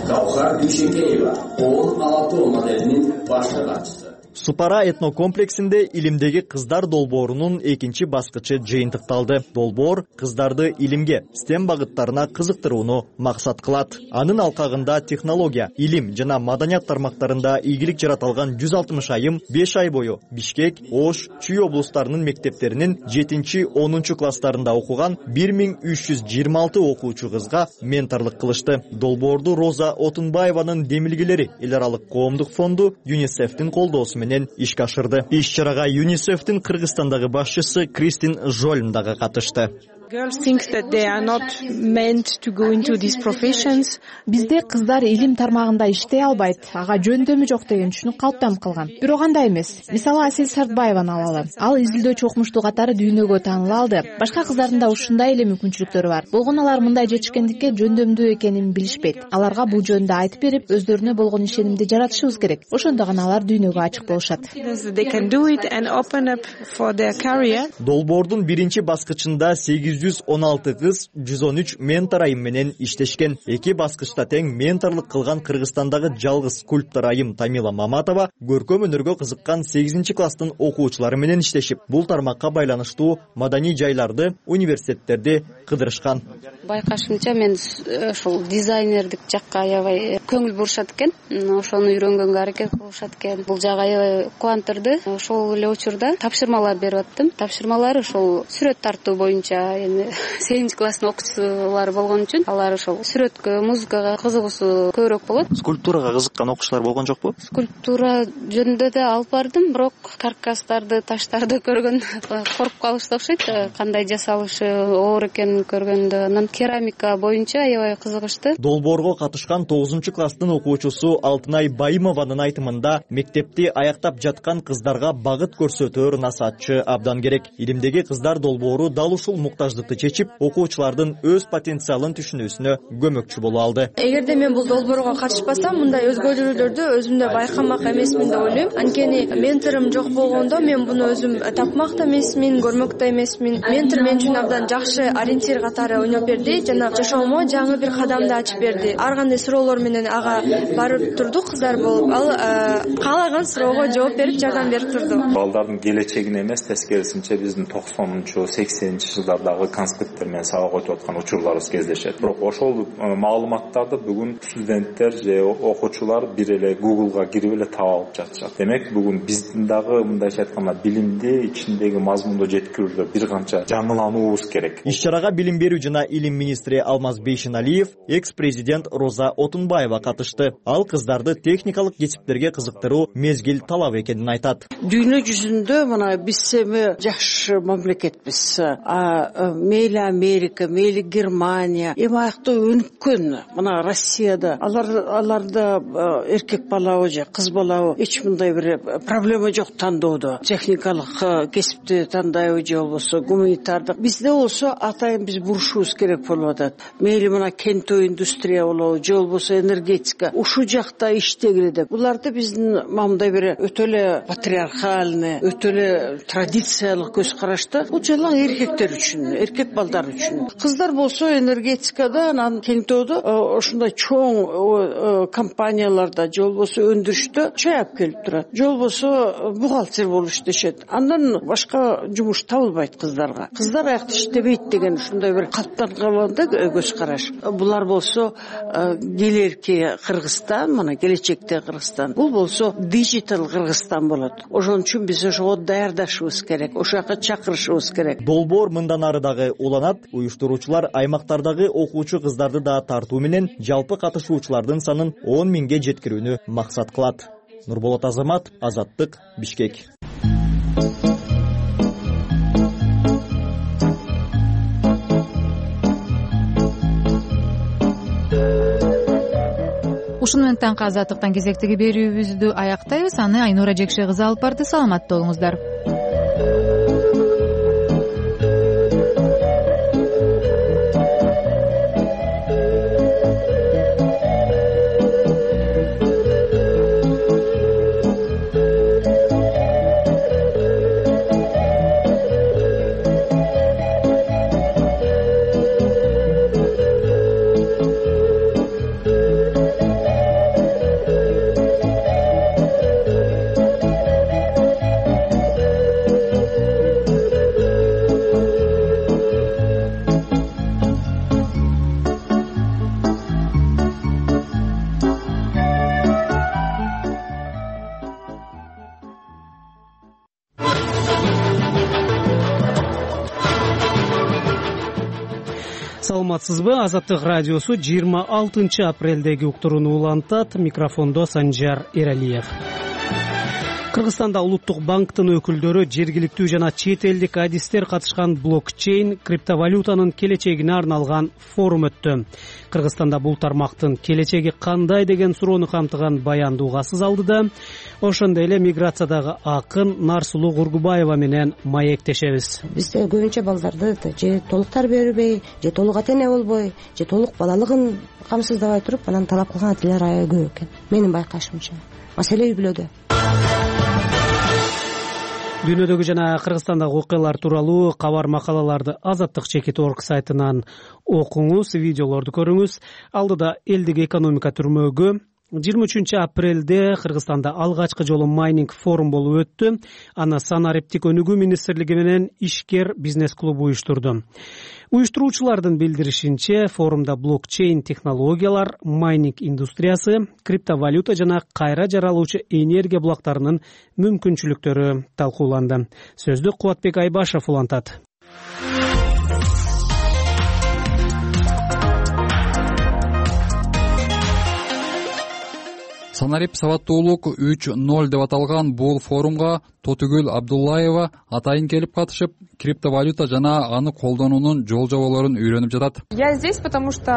Гаухар Дүйшекеева он алты моделинин башкы катчысы.
Супара этнокомплексинде илимдеги кыздар долбоорунун экинчи баскычы жыйынтыкталды. Долбоор кыздарды илимге, стем багыттарына кызыктырууну максат кылат. Анын алкагында технология, илим жана маданият тармактарында ийгилик жарата алган жүз алтымыш айым беш ай бою Бишкек, Ош, Чүй облустарынын мектептеринин жетинчи онунчу класстарында окуган бир миң үч жүз жыйырма алты окуучу кызга менторлук кылышты. Долбоорду Роза Отунбаеванын демилгелери эл аралык коомдук фонду ЮНИСЕФтин колдоосу менен ишке ашырды. Иш чарага ЮНИСЕФтин Кыргызстандагы башчысы Кристин Жольм дагы катышты.
Бизде кыздар илим тармагында иштей албайт, ага жөндөмү жок деген түшүнүк калыптанып калган. Бирок андай эмес. Мисалы Асель Сартбаеваны алалы. Ал изилдөөчү окумуштуу катары дүйнөгө тааныла алды. Башка кыздардын да ушундай эле мүмкүнчүлүктөрү бар. Болгону алар мындай жетишкендикке жөндөмдүү экенин билишпейт. Аларга бул жөнүндө айтып берип, өздөрүнө болгон ишенимди жаратышыбыз керек. Ошондо гана алар дүйнөгө ачык болушат.
Долбоордун биринчи баскычында сегиз жүз он алты кыз жүз он үч ментор айым менен иштешкен. Эки баскычта тең менторлук кылган Кыргызстандагы жалгыз скульптор айым Тамила Маматова көркөм өнөргө кызыккан сегизинчи класстын окуучулары менен иштешип, бул тармакка байланыштуу маданий жайларды, университеттерди кыдырышкан.
Байкашымча мен ушул дизайнердик жакка аябай көңүл бурушат экен. Ошону үйрөнгөнгө аракет кылышат экен. Бул жагы аябай кубандырды. Ошол эле учурда тапшырмалар берип аттым. Тапшырмалар ошол сүрөт тартуу боюнча, эми сегизинчи класстын окуучулары болгон үчүн алар ошол сүрөткө, музыкага кызыгуусу көбүрөөк болот.
Скульптурага кызыккан окуучулар болгон жокпу?
Скульптура жөнүндө да алып бардым, бирок каркастарды, таштарды көргөн коруп калышты окшойт. Кандай жасалышы оор экенин көргөндө, анан керамика боюнча аябай кызыгышты.
Долбоорго катышкан тогузунчу класстын окуучусу Алтынай Байымованын айтымында мектепти аяктап жаткан кыздарга багыт көрсөтөр насаатчы абдан керек. Илимдеги кыздар долбоору дал ушул муктаждыкты чечип, окуучулардын өз потенциалын түшүнүүсүнө көмөкчү боло алды.
Эгерде мен бул долбоорго катышпасам, мындай өзгөрүүлөрдү өзүмдө байкамак эмесмин деп ойлойм. Анткени менторум жок болгондо мен буну өзүм тапмак да эмесмин, көрмөк да эмесмин. Ментор мен үчүн абдан жакшы ориентир катары ойноп берди жана жашоомо жаңы бир кадамды ачып берди. Ар кандай суроолор менен ага барып турду кыздар болуп. Ал каалаган суроого жооп берип, жардам берип турду.
Балдардын келечегине эмес, тескерисинче биздин токсонунчу сексенинчи жылдардагы конспекттер менен сабак өтүп аткан учурларыбыз кездешет. Бирок ошол маалыматтарды бүгүн студенттер же окуучулар бир эле Google'га кирип эле таап алып жатышат. Демек бүгүн биздин дагы мындайча айтканда билимди ичиндеги мазмунду жеткирүүдө бир канча жаңылануубуз керек.
Иш чарага билим берүү жана илим министри Алмаз Бейшеналиев, экс-президент Роза Отунбаева катышты. Ал кыздарды техникалык кесиптерге кызыктыруу мезгил талап экенин айтат.
Дүйнө жүзүндө мына биз эми жакшы мамлекетпиз. А мейли Америка, мейли Германия, эми аякта өнүккөн мына Россияда алар аларда эркек балабы же кыз балабы эч мындай бир проблема жок тандоодо. Техникалык кесипти тандайбы же болбосо гуманитардык. Бизде болсо атайын биз бурушубуз керек болуп атат. Мейли мына кенттүү индустрия болобу же болбосо энергетика. Ушул жакта иштегиле деп. Буларды биздин мындай бир өтө эле патриархальный, өтө эле традициялык көз карашта. Бул жалаң эркектер үчүн, эркек балдар үчүн. Кыздар болсо энергетикада, анан кенттөөдө ошондой чоң компанияларда же болбосо өндүрүштө чай алып келип турат. Же болбосо бухгалтер болуп иштешет. Андан башка жумуш табылбайт кыздарга. Кыздар аякта иштебейт деген ушундай бир калыптанган да көз караш. Булар болсо келерки Кыргызстан, мына келечекте Кыргызстан. Бул болсо дижитал Кыргызстан болот. Ошон үчүн биз ошого даярдашыбыз керек, ошол жака чакырышыбыз керек.
Долбоор мындан ары дагы уланат. Уюштуруучулар аймактардагы окуучу кыздарды да тартуу менен жалпы катышуучулардын санын он миңге жеткирүүнү максат кылат. Нурболот Азамат, Азаттык, Бишкек.
Ушуну менен таңкы Азаттыктан кезектеги берүүбүздү аяктайбыз. Аны Айнура Жекше кызы алып барды. Саламатта болуңуздар.
саламатсызбы? Азаттык радиосу жыйырма алтынчы апрелдеги уктурууну улантат. Микрофондо Санжар Эралиев. Кыргызстанда Улуттук банктын өкүлдөрү жергиликтүү жана чет элдик адистер катышкан блокчейн криптовалютанын келечегине арналган форум өттү. Кыргызстанда бул тармактын келечеги кандай деген суроону камтыган баянды угасыз алдыда. Ошондой эле миграциядагы акын Нарсулуу Кургубаева менен маектешебиз.
Бизде көбүнчө балдарды же толук тарбия бербей, же толук ата эне болбой, же толук балалыгын камсыздабай туруп, анан талап кылган ата энелер аябай көп экен. Менин байкашымча. Маселе үй бүлөдө.
Дүйнөдөгү жана Кыргызстандагы окуялар тууралуу кабар макалаларды Азаттык чекит точка орг сайтынан окуңуз, видеолорду көрүңүз. Алдыда элдик экономика түрмөгү жыйырма үчүнчү апрелде Кыргызстанда алгачкы жолу майнинг форум болуп өттү. Аны санариптик өнүгүү министрлиги менен Ишкер бизнес клубу уюштурду. Уюштуруучулардын билдиришинче, форумда блокчейн технологиялар, майнинг индустриясы, криптовалюта жана кайра жаралуучу энергия булактарынын мүмкүнчүлүктөрү талкууланды. Сөздү Кубатбек Айбашев улантат.
Санарип сабаттуулук үч ноль деп аталган бул форумга Тотугүл Абдуллаева атайын келип катышып, криптовалюта жана аны колдонуунун жол жоболорун үйрөнүп жатат.
Я здесь, потому что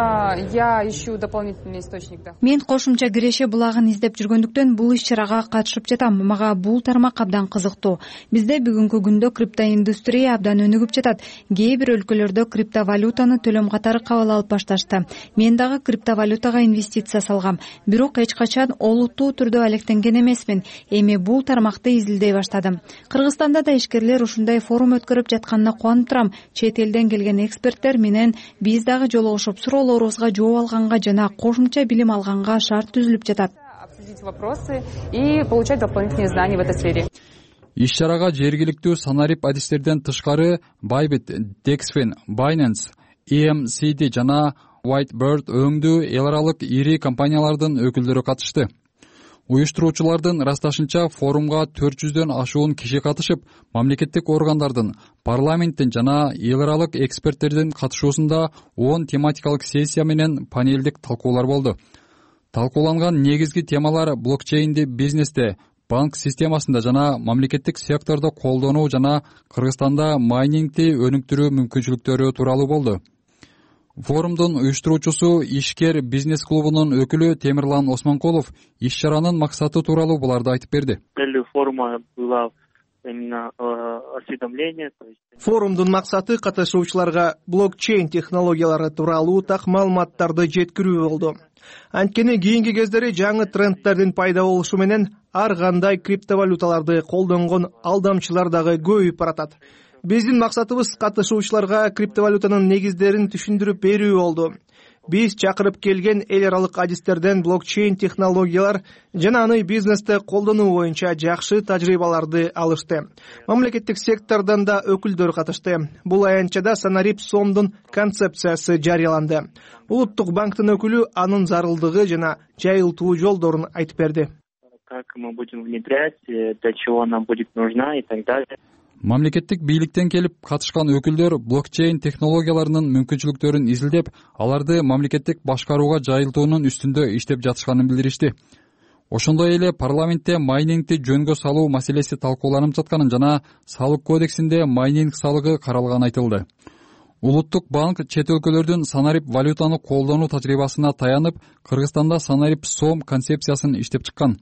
я ищу дополнительный источник.
Мен кошумча киреше булагын издеп жүргөндүктөн бул иш-чарага катышып жатам. Мага бул тармак абдан кызыктуу. Бизде бүгүнкү күндө криптоиндустрия абдан өнүгүп жатат. Кээ бир өлкөлөрдө криптовалютаны төлөм катары кабыл алып башташты. Мен дагы криптовалютага инвестиция салгам. Бирок эч качан олуттуу түрдө алектенген эмесмин. Эми бул тармакты изилдей баштадым. Кыргызстанда да ишкерлер ушундай форум өткөрүп жатканына кубанып турам. Чет элден келген эксперттер менен биз дагы жолугушуп, суроолорубузга жооп алганга жана кошумча билим алганга шарт түзүлүп жатат.
Обсудить вопросы и получать дополнительные знания в этой сфере.
Иш-чарага жергиликтүү санарип адистерден тышкары Bybit, Dexfin, Binance, и эм си ди жана Whitebird өңдүү эл аралык ири компаниялардын өкүлдөрү катышты. Уюштуруучулардын ырасташынча, форумга төрт жүздөн ашуун киши катышып, мамлекеттик органдардын, парламенттин жана эл аралык эксперттердин катышуусунда он тематикалык сессия менен панелдик талкуулар болду. Талкууланган негизги темалар блокчейнди бизнесте, банк системасында жана мамлекеттик сектордо колдонуу жана Кыргызстанда майнингди өнүктүрүү мүмкүнчүлүктөрү тууралуу болду. Форумдун уюштуруучусу Ишкер бизнес клубунун өкүлү Темирлан Осмонкулов иш-чаранын максаты тууралуу буларды айтып берди.
Целью форума было именно осведомление.
Форумдун максаты катышуучуларга блокчейн технологиялары тууралуу так маалыматтарды жеткирүү болду. Анткени кийинки кездери жаңы трендтердин пайда болушу менен ар кандай криптовалюталарды колдонгон алдамчылар дагы көбөйүп баратат. Биздин максатыбыз катышуучуларга криптовалютанын негиздерин түшүндүрүп берүү болду. Биз чакырып келген эл аралык адистерден блокчейн технологиялар жана аны бизнесте колдонуу боюнча жакшы тажрыйбаларды алышты. Мамлекеттик сектордон да өкүлдөр катышты. Бул аянтчада санарип сомдун концепциясы жарыяланды. Улуттук банктын өкүлү анын зарылдыгы жана жайылтуу жолдорун айтып берди.
Как мы будем внедрять, для чего нам будет нужна и так далее.
Мамлекеттик бийликтен келип катышкан өкүлдөр блокчейн технологияларынын мүмкүнчүлүктөрүн изилдеп, аларды мамлекеттик башкарууга жайылтуунун үстүндө иштеп жатышканын билдиришти. Ошондой эле парламентте майнингди жөнгө салуу маселеси талкууланып жатканын жана салык кодексинде майнинг салыгы каралганы айтылды. Улуттук банк чет өлкөлөрдүн санарип валютаны колдонуу тажрыйбасына таянып, Кыргызстанда санарип сом концепциясын иштеп чыккан.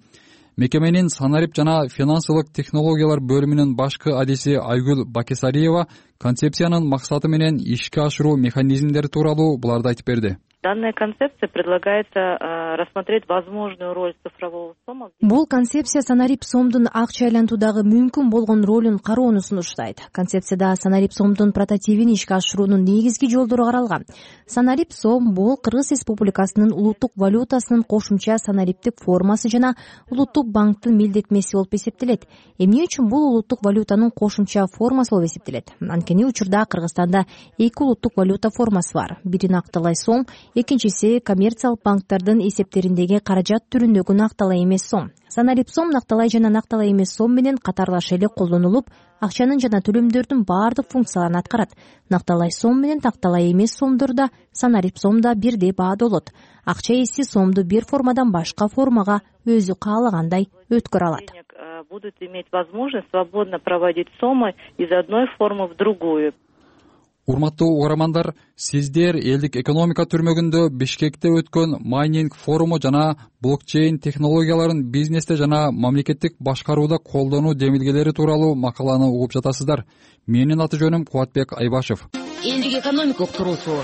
Мекеменин санарип жана финансылык технологиялар бөлүмүнүн башкы адиси Айгүл Бакесариева концепциянын максаты менен ишке ашыруу механизмдери тууралуу буларды айтып берди.
Данная концепция предлагается рассмотреть возможную роль цифрового сома.
Бул концепция санарип сомдун акча айлантуудагы мүмкүн болгон ролун кароону сунуштайт. Концепцияда санарип сомдун прототипин ишке ашыруунун негизги жолдору каралган. Санарип сом бул Кыргыз Республикасынын улуттук валютасынын кошумча санариптик формасы жана улуттук банктын милдетмеси болуп эсептелет. Эмне үчүн бул улуттук валютанын кошумча формасы болуп эсептелет? анткени учурда Кыргызстанда эки улуттук валюта формасы бар. Бири накталай сом, экинчиси коммерциялык банктердин эсептериндеги каражат түрүндөгү накталай эмес сом. Санарип сом накталай жана накталай эмес сом менен катарлаш эле колдонулуп, акчанын жана төлөмдөрдүн баардык функцияларын аткарат. Накталай сом менен накталай эмес сомдордо санарип сомдо бирдей баада болот. Акча ээси сомду бир формадан башка формага өзү каалагандай өткөрө алат.
Будут иметь возможность свободно проводить сомы из одной формы в другую.
Урматтуу угармандар, сиздер элдик экономика түрмөгүндө Бишкекте өткөн майнинг форуму жана блокчейн технологияларын бизнесте жана мамлекеттик башкарууда колдонуу демилгелери тууралуу макаланы угуп жатасыздар. Менин аты жөнүм Кубатбек Айбашев.
Элдик экономика уктуруусу.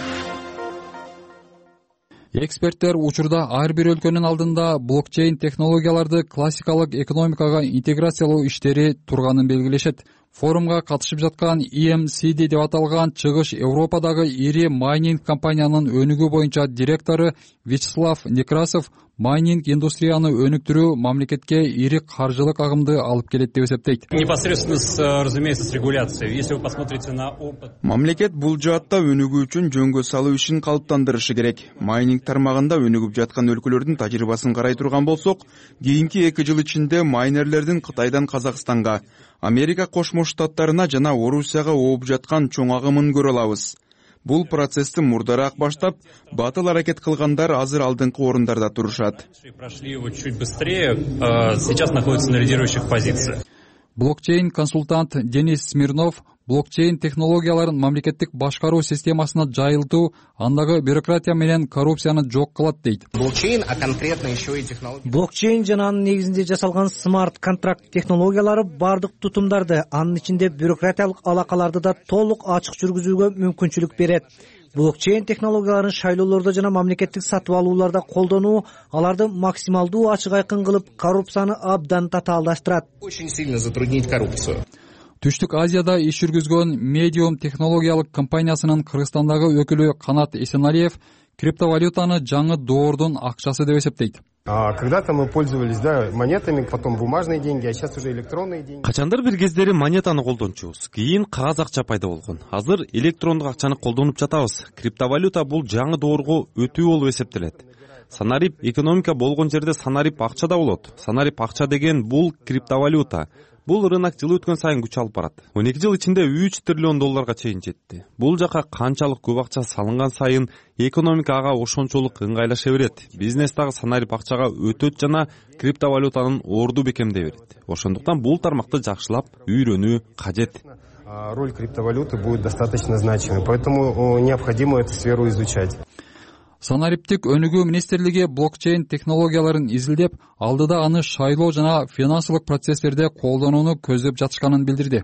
Эксперттер учурда ар бир өлкөнүн алдында блокчейн технологияларды классикалык экономикага интеграциялоо иштери турганын белгилешет. Форумга катышып жаткан и эм си ди деп аталган Чыгыш Европадагы ири майнинг компаниянын өнүгүү боюнча директору Вячеслав Некрасов майнинг индустрияны өнүктүрүү мамлекетке ири каржылык агымды алып келет деп эсептейт.
Непосредственно, разумеется, с регуляцией. Если вы посмотрите на опыт.
Мамлекет бул жаатта өнүгүү үчүн жөнгө салуу ишин калыптандырышы керек. Майнинг тармагында өнүгүп жаткан өлкөлөрдүн тажрыйбасын карай турган болсок, кийинки эки жыл ичинде майнерлердин Кытайдан Казакстанга, Америка Кошмо Штаттарына жана Орусияга ооп жаткан чоң агымын көрө алабыз. Бул процессти мурдараак баштап, батыл аракет кылгандар азыр алдыңкы орундарда турушат.
Прошли его чуть быстрее, сейчас находятся на лидирующих позициях.
Блокчейн консультант Денис Смирнов блокчейн технологияларын мамлекеттик башкаруу системасына жайылтуу андагы бюрократия менен коррупцияны жок кылат дейт.
Блокчейн, а конкретно еще и технология.
Блокчейн жана анын негизинде жасалган смарт контракт технологиялары бардык тутумдарды, анын ичинде бюрократиялык алакаларды да толук ачык жүргүзүүгө мүмкүнчүлүк берет. Блокчейн технологияларын шайлоолордо жана мамлекеттик сатып алууларда колдонуу аларды максималдуу ачык айкын кылып, коррупцияны абдан татаалдаштырат.
Очень сильно затруднить коррупцию.
Түштүк Азияда иш жүргүзгөн Medium технологиялык компаниясынын Кыргызстандагы өкүлү Канат Эсеналиев криптовалютаны жаңы доордун акчасы деп эсептейт.
Когда-то мы пользовались, да, монетами, потом бумажные деньги, а сейчас уже электронные деньги.
Качандыр бир кездери монетаны колдончубуз, кийин кагаз акча пайда болгон. Азыр электрондук акчаны колдонуп жатабыз. Криптовалюта бул жаңы доорго өтүү болуп эсептелет. Санарип экономика болгон жерде санарип акча да болот. Санарип акча деген бул криптовалюта. Бул рынок жыл өткөн сайын күч алып барат. он эки жыл ичинде үч триллион долларга чейин жетти. Бул жака канчалык көп акча салынган сайын экономика ага ошончолук ыңгайлаша берет. Бизнес дагы санарип акчага өтөт жана криптовалютанын орду бекемдей берет. Ошондуктан бул тармакты жакшылап үйрөнүү кажет.
Роль криптовалюты будет достаточно значимой, поэтому необходимо эту сферу изучать.
Санариптик өнүгүү министрлиги блокчейн технологияларын изилдеп, алдыда аны шайлоо жана финансылык процесстерде колдонууну көздөп жатышканын билдирди.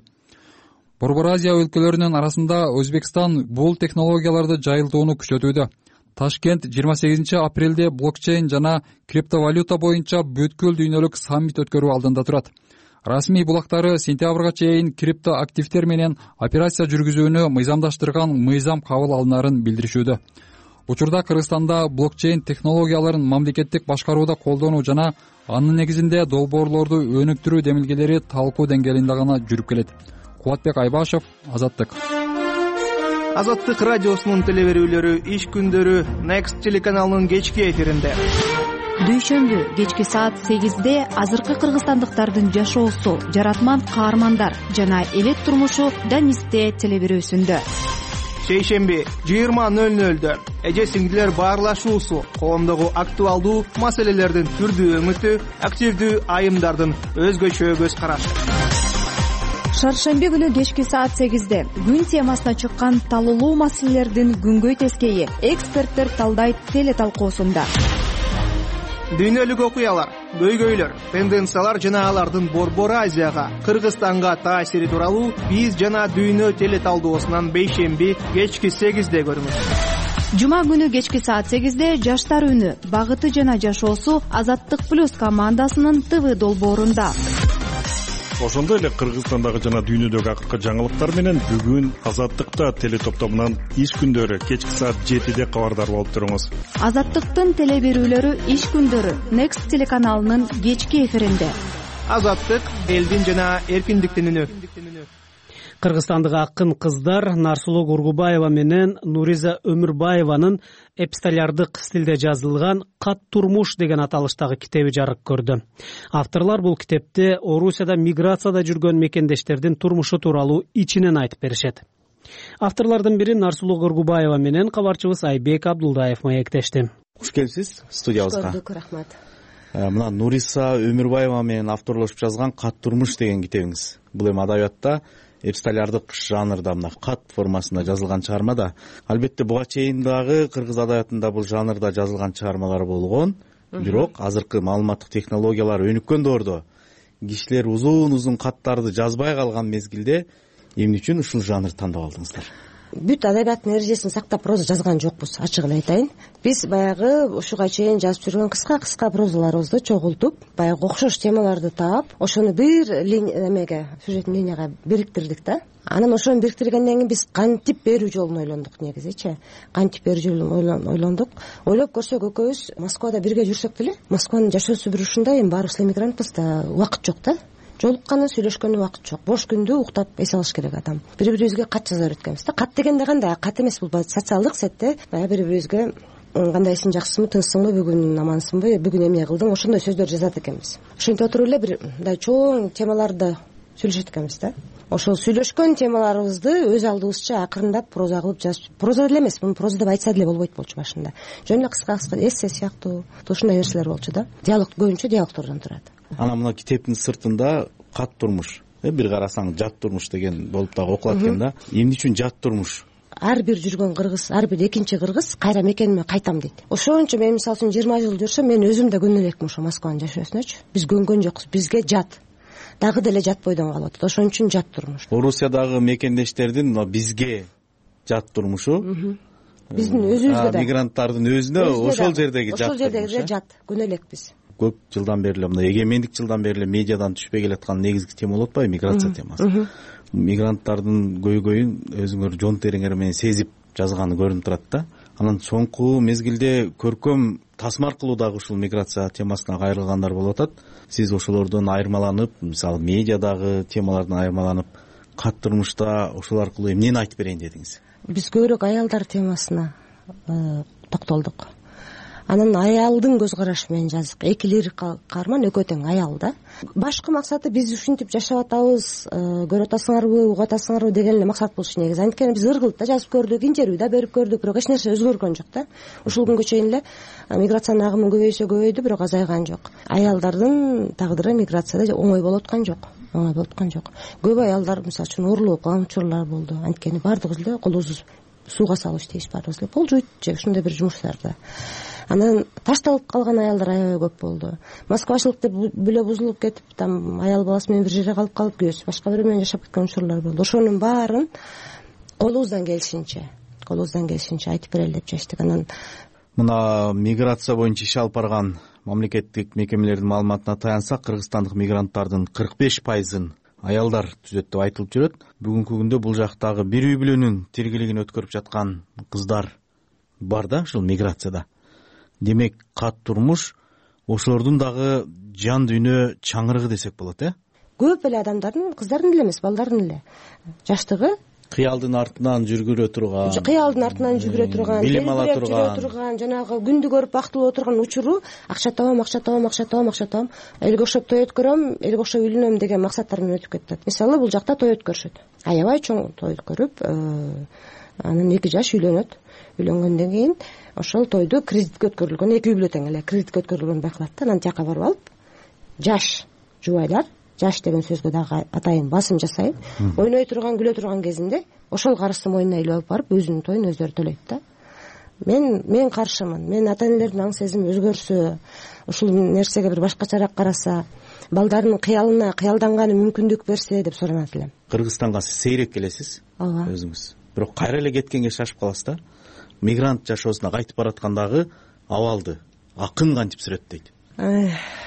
Борбор Азия өлкөлөрүнүн арасында Өзбекстан бул технологияларды жайылтууну күчөтүүдө. Ташкент жыйырма сегизинчи апрелде блокчейн жана криптовалюта боюнча бүткүл дүйнөлүк саммит өткөрүү алдында турат. Расмий булактары сентябрга чейин крипто активдер менен операция жүргүзүүнү мыйзамдаштырган мыйзам кабыл алынарын билдиришүүдө. Учурда Кыргызстанда блокчейн технологияларын мамлекеттик башкарууда колдонуу жана анын негизинде долбоорлорду өнүктүрүү демилгелери талкуу деңгээлинде гана жүрүп келет. Кубатбек Айбашев, Азаттык.
Азаттык радиосунун телеберүүлөрү иш күндөрү Next телеканалынын кечки эфиринде.
Дүйшөмбү кечки саат сегизде азыркы кыргызстандыктардын жашоосу, жаратман каармандар жана элет турмушу Данисте телеберүүсүндө.
Шейшемби жыйырма нөл нөлдө эже сиңдилер баарлашуусу, коомдогу актуалдуу маселелердин түрдүү өңүтү, активдүү айымдардын өзгөчө көз карашы.
Шаршемби күнү кечки саат сегизде күн темасына чыккан талуулуу маселелердин күнгөй тескейи эксперттер талдайт теле талкуусунда.
Дүйнөлүк окуялар, көйгөйлөр, тенденциялар жана алардын Борбор Азияга, Кыргызстанга таасири тууралуу биз жана дүйнө теле талдоосунан бейшемби кечки сегизде көрүңүз.
Жума күнү кечки саат сегизде жаштар үнү, багыты жана жашоосу Азаттык плюс командасынын ТВ долбоорунда.
Ошондой эле Кыргызстандагы жана дүйнөдөгү акыркы жаңылыктар менен бүгүн Азаттыкта теле топтомунан иш күндөрү кечки саат жетиде кабардар болуп туруңуз.
Азаттыктын теле берүүлөрү иш күндөрү Next телеканалынын кечки эфиринде.
Азаттык элдин жана эркиндиктин үнү.
кыргызстандык акын кыздар Нарсулуу Кургубаева менен Нуриза Өмүрбаеванын эпистолярдык стилде жазылган «Кат турмуш» деген аталыштагы китеби жарык көрдү. Авторлор бул китепте Орусияда миграцияда жүргөн мекендештердин турмушу тууралуу ичинен айтып беришет. Авторлордун бири Нарсулуу Кургубаева менен кабарчыбыз Айбек Абдулдаев маектешти.
Куш келипсиз студиябызга.
Куш көрдүк, рахмат.
Мына Нуриза Өмүрбаева менен авторлошуп жазган «Кат турмуш» деген китебиңиз. Бул эми адабиятта эпистолярдык жанрда, мына кат формасында жазылган чыгарма да. Албетте буга чейин дагы кыргыз адабиятында бул жанрда жазылган чыгармалар болгон. Бирок азыркы маалыматтык технологиялар өнүккөн доордо кишилер узун узун каттарды жазбай калган мезгилде эмне үчүн ушул жанрды тандап алдыңыздар?
Бүт адабияттын эрежесин сактап проза жазган жокпуз, ачык эле айтайын. Биз баягы ушуга чейин жазып жүргөн кыска-кыска прозаларыбызды чогултуп, баягы окшош темаларды таап, ошону бир эмеге, сюжеттик линияга бириктирдик да. Анан ошону бириктиргенден кийин биз кантип берүү жолун ойлондук негизичи. Кантип берүү жолун ойлондук. Ойлоп көрсөк экөөбүз Москвада бирге жүрсөк деле, Москванын жашоосу бир ушундай, эми баарыбыз эмигрантпыз да, убакыт жок да. Жолукканы, сүйлөшкөнү убакыт жок. Бош күндү уктап эс алыш керек адам. Бири-бирибизге кат жаза береткенбиз да. Кат дегенде кандай? Кат эмес, бул социалдык сетте баягы бири-бирибизге кандайсың, жакшысыңбы, тынчсыңбы, бүгүн амансыңбы, бүгүн эмне кылдың, ошондой сөздөр жазат экенбиз. Ошентип отуруп эле бир мындай чоң темаларды сүйлөшөт экенбиз да. Ошол сүйлөшкөн темаларыбызды өз алдыбызча акырындап проза кылып жазып, проза деле эмес, муну проза деп айтса деле болбойт болчу башында. Жөн эле кыска-кыска эссе сыяктуу ушундай нерселер болчу да. Диалог көбүнчө диалогтордон турат.
Анан мына китептин сыртында кат турмуш, бир карасаң жат турмуш деген болуп дагы окулат экен да. Эмне үчүн жат турмуш?
Ар бир жүргөн кыргыз, ар бир экинчи кыргыз кайра мекениме кайтам дейт. Ошончо мен мисалы үчүн жыйырма жыл жүрсөм, мен өзүм да көнө элекмин ошо Москванын жашоосуначу. Биз көнгөн жокпуз, бизге жат. Дагы деле жат бойдон калып атат. Ошон үчүн жат турмуш.
Орусиядагы мекендештердин бизге жат турмушу,
биздин өзүбүзгө да,
мигранттардын өзүнө ошол жердеги жат.
Ошол жердеги жат, көнө элекпиз.
Көп жылдан бери эле мына эгемендик жылдан бери эле медиадан түшпөй келаткан негизги тема болуп атпайбы, миграция темасы. Мигранттардын көйгөйүн өзүңөр жон териңер менен сезип жазганы көрүнүп турат да. Анан соңку мезгилде көркөм тасма аркылуу дагы ушул миграция темасына кайрылгандар болуп атат. Сиз ошолордон айырмаланып, мисалы медиадагы темалардан айырмаланып, кат турмушта ошол аркылуу эмнени айтып берейин дедиңиз?
Биз көбүрөөк аялдар темасына токтолдук. Анан аялдын көз карашы менен жаздык. Эки лирик каарман экөө тең аял да. Башкы максаты биз ушинтип жашап атабыз, көрүп атасыңарбы, угуп атасыңарбы деген эле максат болчу негизи. Анткени биз ыр кылып да жазып көрдүк, интервью да берип көрдүк, бирок эч нерсе өзгөргөн жок да. Ушул күнгө чейин эле миграциянын агымы көбөйсө көбөйдү, бирок азайган жок. Аялдардын тагдыры миграцияда оңой болуп аткан жок. Оңой болуп аткан жок. Көп аялдар мисалы үчүн уурулуп калган учурлар болду. Анткени баардыгыбыз эле колубузду сууга салып иштейбиз, баардыгыбыз эле болжойт же ушундай бир жумуштарда. Анан ташталып калган аялдар аябай көп болду. Москвачылык деп бүлө бузулуп кетип, там аял баласы менен бир жерде калып калып, күйөөсү башка бирөө менен жашап кеткен учурлар болду. Ошонун баарын колубуздан келишинче, колубуздан келишинче айтып берели деп чечтик. Анан
мына миграция боюнча иш алып барган мамлекеттик мекемелердин маалыматына таянсак, кыргызстандык мигранттардын кырк беш пайызын аялдар түзөт деп айтылып жүрөт. Бүгүнкү күндө бул жактагы бир үй бүлөнүн тиргилигин өткөрүп жаткан кыздар бар да ушул миграцияда. Демек, кат турмуш ошолордун дагы жан дүйнө чаңырыгы десек болот, э?
Көп эле адамдардын, кыздардын эле эмес, балдардын эле жаштыгы
кыялдын артынан жүргүрө турган,
кыялдын артынан жүргүрө турган,
билим ала
жүрө турган, жанагы күндү көрүп бактылуу отурган учуру акча табам, акча табам, акча табам, акча табам, элге окшоп той өткөрөм, элге окшоп үйлөнөм деген максаттар менен өтүп кетет. Мисалы, бул жакта той өткөрүшөт. Аябай чоң той өткөрүп, анан эки жаш үйлөнөт. Үйлөнгөндөн кийин ошол тойду кредитке өткөрүлгөн, эки үй бүлө тең эле кредитке өткөрүлгөн байкалат да. Анан жака барып алып, жаш жубайлар, жаш деген сөзгө дагы атайын басым жасайын, ойной турган, күлө турган кезинде ошол карызды мойнуна илип алып барып, өзүнүн тоюн өздөрү төлөйт да. Мен мен каршымын. Мен ата энелердин аң сезими өзгөрсө, ушул нерсеге бир башкачараак караса, балдарынын кыялына, кыялданганы мүмкүндүк берсе деп суранат элем.
Кыргызстанга сиз сейрек келесиз,
ооба,
өзүңүз. Бирок кайра эле кеткенге шашып каласыз да. Мигрант жашоосуна кайтып бараткандагы абалды акын кантип сүрөттөйт?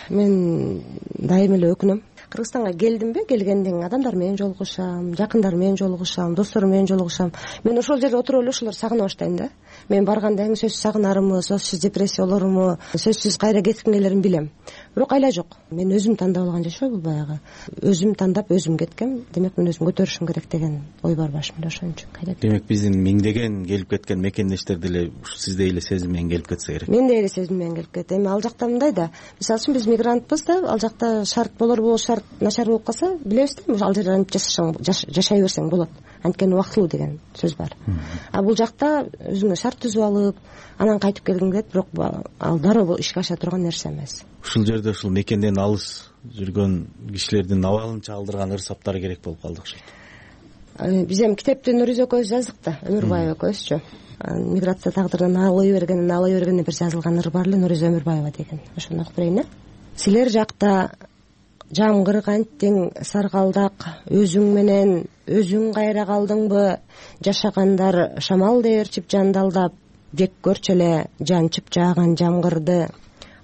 Мен дайым эле өкүнөм. Кыргызстанга келдимби, келгенден кийин адамдар менен жолугушам, жакындар менен жолугушам, досторум менен жолугушам. Мен ошол жерде отуруп эле ошолорду сагына баштайм да. мен барганда эң сөзсүз сагынарымы, сөзсүз депрессия болоруму, сөзсүз кайра кетким келерин билем. Бирок айла жок, мен өзүм тандап алган жашоо бул баягы. Өзүм тандап өзүм кеткем, демек мен өзүм көтөрүшүм керек деген ой бар башымда, ошон үчүн кайра.
Демек биздин миңдеген келип кеткен мекендештер деле сиздей эле сезим менен келип кетсе керек.
Мендей эле сезим менен келип кетет. Эми ал жакта мындай да, мисалы үчүн биз мигрантпыз да, ал жакта шарт болор болор, шарт начар болуп калса, билебиз да, ал жерде жашай берсең болот. Анткени убактылуу деген сөз бар. А бул жакта өзүңө шарт түзүп алып, анан кайтып келгиң келет, бирок ал дароо ишке аша турган нерсе эмес.
Ушул жерде ушул мекенден алыс жүргөн кишилердин абалын чалдырган ырсаптары керек болуп калды окшойт.
Биз эми китепти Нуриз экөөбүз жаздык да, Өмүрбаева экөөбүзчү. Миграция тагдырынан алый бергенин алый бергенин бир жазылган ыр бар эле, Нуриз Өмүрбаева деген. Ошону окуп берейин э. Силер жакта жамгыр кантиң саргалдак, өзүң менен өзүң кайра калдыңбы? Жашагандар шамал дээрчип жандалдап, жек көрчү эле жанчып жааган жамгырды.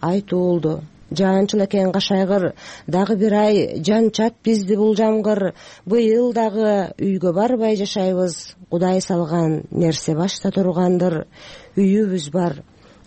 Айтуулду жаанчыл экен кашайгыр, дагы бир ай жанчат бизди бул жамгыр. Быйыл дагы үйгө барбай жашайбыз, Кудай салган нерсе башта тургандыр. Үйүбүз бар,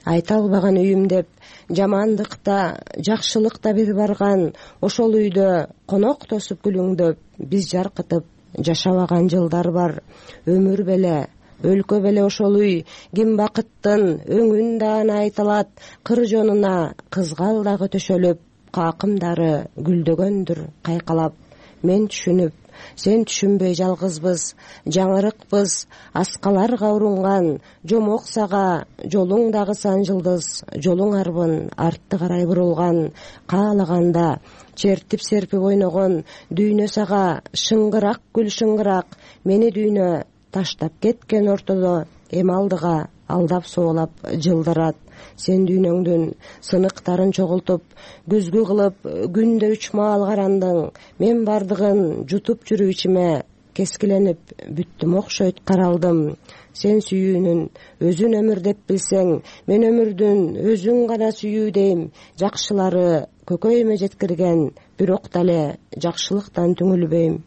айта албаган үйүм деп, жамандыкта жакшылыкта бир барган. Ошол үйдө конок тосуп күлүңдөп, биз жаркытып жашабаган жылдар бар. Өмүр беле, өлкө беле ошол үй, ким бакыттын өңүн даана айталат. Кыр жонуна кызгал дагы төшөлүп, какымдары гүлдөгөндүр кайкалап. Мен түшүнүп, сен түшүнбөй жалгызбыз, жаңырыкпыз, аскаларга урунган. Жомок сага жолуң дагы сан жылдыз, жолуң арбын артты карай бурулган. Каалаганда чертип серпип ойногон, дүйнө сага шыңгырак гүл шыңгырак. Мени дүйнө таштап кеткен ортодо, эми алдыга алдап соолап жылдырат. Сен дүйнөңдүн сыныктарын чогултуп, күзгү кылып күндө үч маал карандың. Мен бардыгын жутуп жүрүп ичиме, кескиленип бүттүм окшойт каралдым. Сен сүйүүнүн өзүн өмүр деп билсең, мен өмүрдүн өзүн гана сүйүү дейм. Жакшылары көкөймө жеткирген, бирок дале жакшылыктан түңүлбөйм.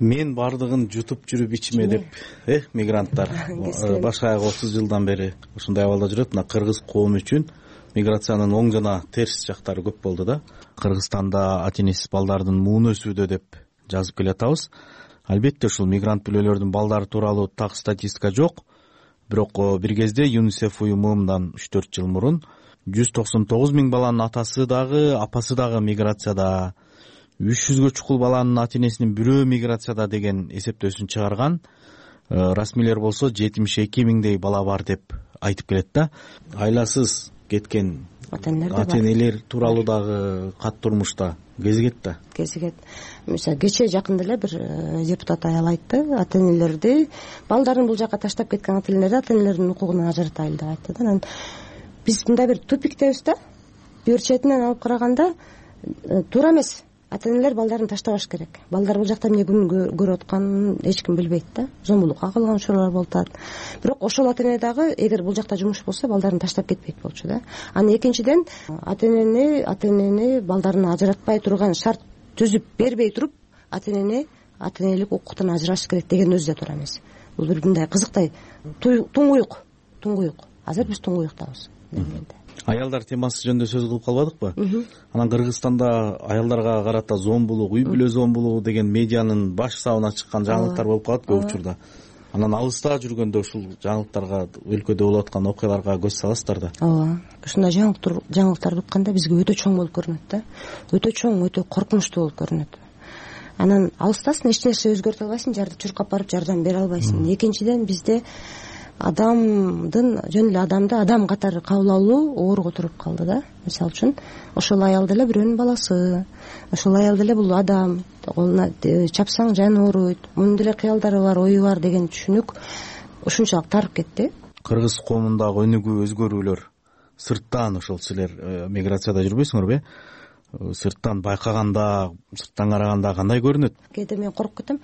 Мен бардыгын жутуп жүрүп ичиме деп, э, мигранттар башка отуз жылдан бери ушундай абалда жүрөт. Мына кыргыз коому үчүн миграциянын оң жана терс жактары көп болду да. Кыргызстанда ата энесиз балдардын муун өсүүдө деп жазып келатабыз. Албетте ушул мигрант бүлөлөрдүн балдары тууралуу так статистика жок. Бирок бир кезде ЮНИСЕФ уюму мындан үч төрт жыл мурун жүз токсон тогуз миң баланын атасы дагы, апасы дагы миграцияда, үч жүзгө чукул баланын ата энесинин бирөө миграцияда деген эсептөөсүн чыгарган. Расмийлер болсо жетимиш эки миңдей бала бар деп айтып келет да. Айласыз кеткен ата энелер тууралуу дагы кат турмушта кезигет да.
Кезигет. Мисалы кечээ жакында эле бир депутат аял айтты, ата энелерди, балдарын бул жака таштап кеткен ата энелерди ата энелердин укугунан ажыратайлы деп айтты да. Анан биз мындай бир тупиктебиз да. Бир четинен алып караганда туура эмес. Ата энелер балдарын таштабаш керек. Балдар бул жакта эмне күн көрүп атканын эч ким билбейт да. Зомбулукка калган учурлар болуп атат. Бирок ошол ата эне дагы эгер бул жакта жумуш болсо балдарын таштап кетпейт болчу да. Анан экинчиден ата энени ата энени балдарына ажыратпай турган шарт түзүп бербей туруп, ата энени ата энелик укуктан ажыратыш керек деген өзү да туура эмес. Бул бир мындай кызыктай туңгуюк, туңгуюк. Азыр биз туңгуюктабыз.
Аялдар темасы жөнүндө сөз кылып калбадыкпы? Анан Кыргызстанда аялдарга карата зомбулук, үй бүлө зомбулугу деген медианын баш сабына чыккан жаңылыктар болуп калат көп учурда. Анан алыста жүргөндө ушул жаңылыктарга, өлкөдө болуп аткан окуяларга көз саласыздар да.
Ооба. Ушундай жаңылыктарды укканда бизге өтө чоң болуп көрүнөт да. Өтө чоң, өтө коркунучтуу болуп көрүнөт. Анан алыстасың, эч нерсе өзгөртө албайсың, жарды чуркап барып жардам бере албайсың. Экинчиден бизде адамдын жөн эле адамды адам катары кабыл алуу оорго туруп калды да. Мисалы үчүн ошол аял деле бирөөнүн баласы, ошол аял деле бул адам, колуна чапсаң жаны ооруйт, мунун деле кыялдары бар, ою бар деген түшүнүк ушунчалык тарып кетти.
Кыргыз коомундагы өнүгүү өзгөрүүлөр сырттан, ошол силер миграцияда жүрбөйсүңөрбү? Сырттан байкаганда, сырттан караганда кандай көрүнөт?
Кээде мен коркуп кетем,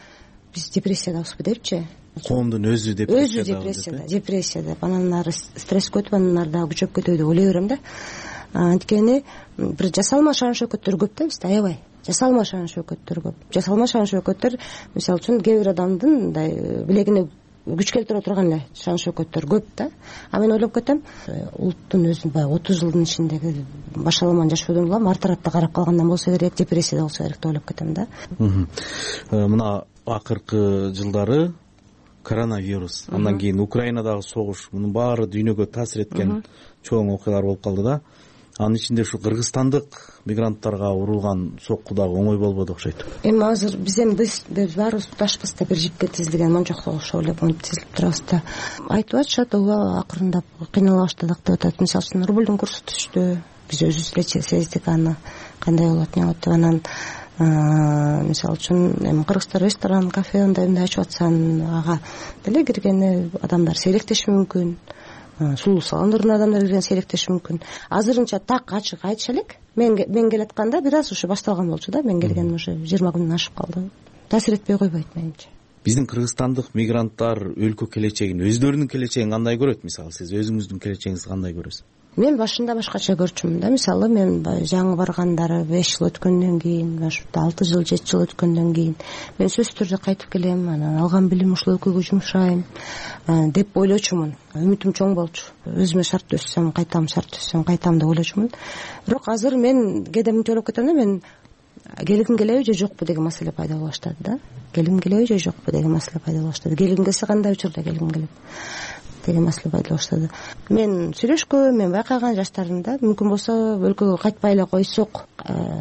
биз депрессиядабызбы депчи?
Коомдун өзү депрессияда.
Өзү депрессияда, депрессия деп, анан ары стресс көтүп, анан ары дагы күчөп кетөбү деп ойлой берем да. Анткени бир жасалма шаан шөкөттөр көп да бизде, аябай. Жасалма шаан шөкөттөр көп. Жасалма шаан шөкөттөр, мисалы үчүн, кээ бир адамдын мындай билегине күч келтире турган эле шан шөкөттөр көп да. А мен ойлоп кетем, улуттун өзүн баягы отуз жылдын ичиндеги башаламан жашоодон улам артыратта карап калгандан болсо керек, депрессияда болсо керек деп ойлоп кетем да.
Мына акыркы жылдары коронавирус, андан кийин Украинадагы согуш, мунун баары дүйнөгө таасир эткен чоң окуялар болуп калды да. Анын ичинде ушу кыргызстандык мигранттарга урулган сокку дагы оңой болбоду окшойт.
Эми азыр биз эми биз баарыбыз туташпыз да, бир жипке тизилген мончокко окшоп эле тизилип турабыз да. Айтып атышат, ооба акырындап кыйнала баштадык деп атат. Мисалы үчүн рублдун курсу түштү, биз өзүбүз эле сездик аны кандай болот, эмне болот деп. Анан мисалы үчүн эми кыргыздар ресторан, кафе андай мындай ачып атсан, ага деле киргени адамдар сейректеши мүмкүн. Сулуу салондордун адамдар кирген сейректеши мүмкүн. Азырынча так ачык айтыша элек. Мен мен келатканда бир аз ушу башталган болчу да. Мен келгениме уже жыйырма күндөн ашып калды. Таасир этпей койбойт менимче.
Биздин кыргызстандык мигранттар өлкө келечегин, өздөрүнүн келечегин кандай көрөт? Мисалы сиз өзүңүздүн келечегиңизди кандай көрөсүз?
Мен башында башкача көрчүмүн да. Мисалы мен жаңы баргандары беш жыл өткөндөн кийин, башында алты жыл, жети жыл өткөндөн кийин мен сөзсүз түрдө кайтып келем, анан алган билим ушул өлкөгө жумшайм деп ойлочумун. Үмүтүм чоң болчу. Өзүмө шарт түзсөм, кайтам, шарт түзсөм, кайтам деп ойлочумун. Бирок азыр мен кээде мынтип ойлоп кетем да, мен келгим келеби же жокпу деген маселе пайда боло баштады да. Келгим келеби же жокпу деген маселе пайда боло баштады. Келгим келсе кандай учурда келгим келет деген маселе пайда боло баштады. Мен сүйлөшкөм, мен байкаган жаштарымда мүмкүн болсо өлкөгө кайтпай эле койсок,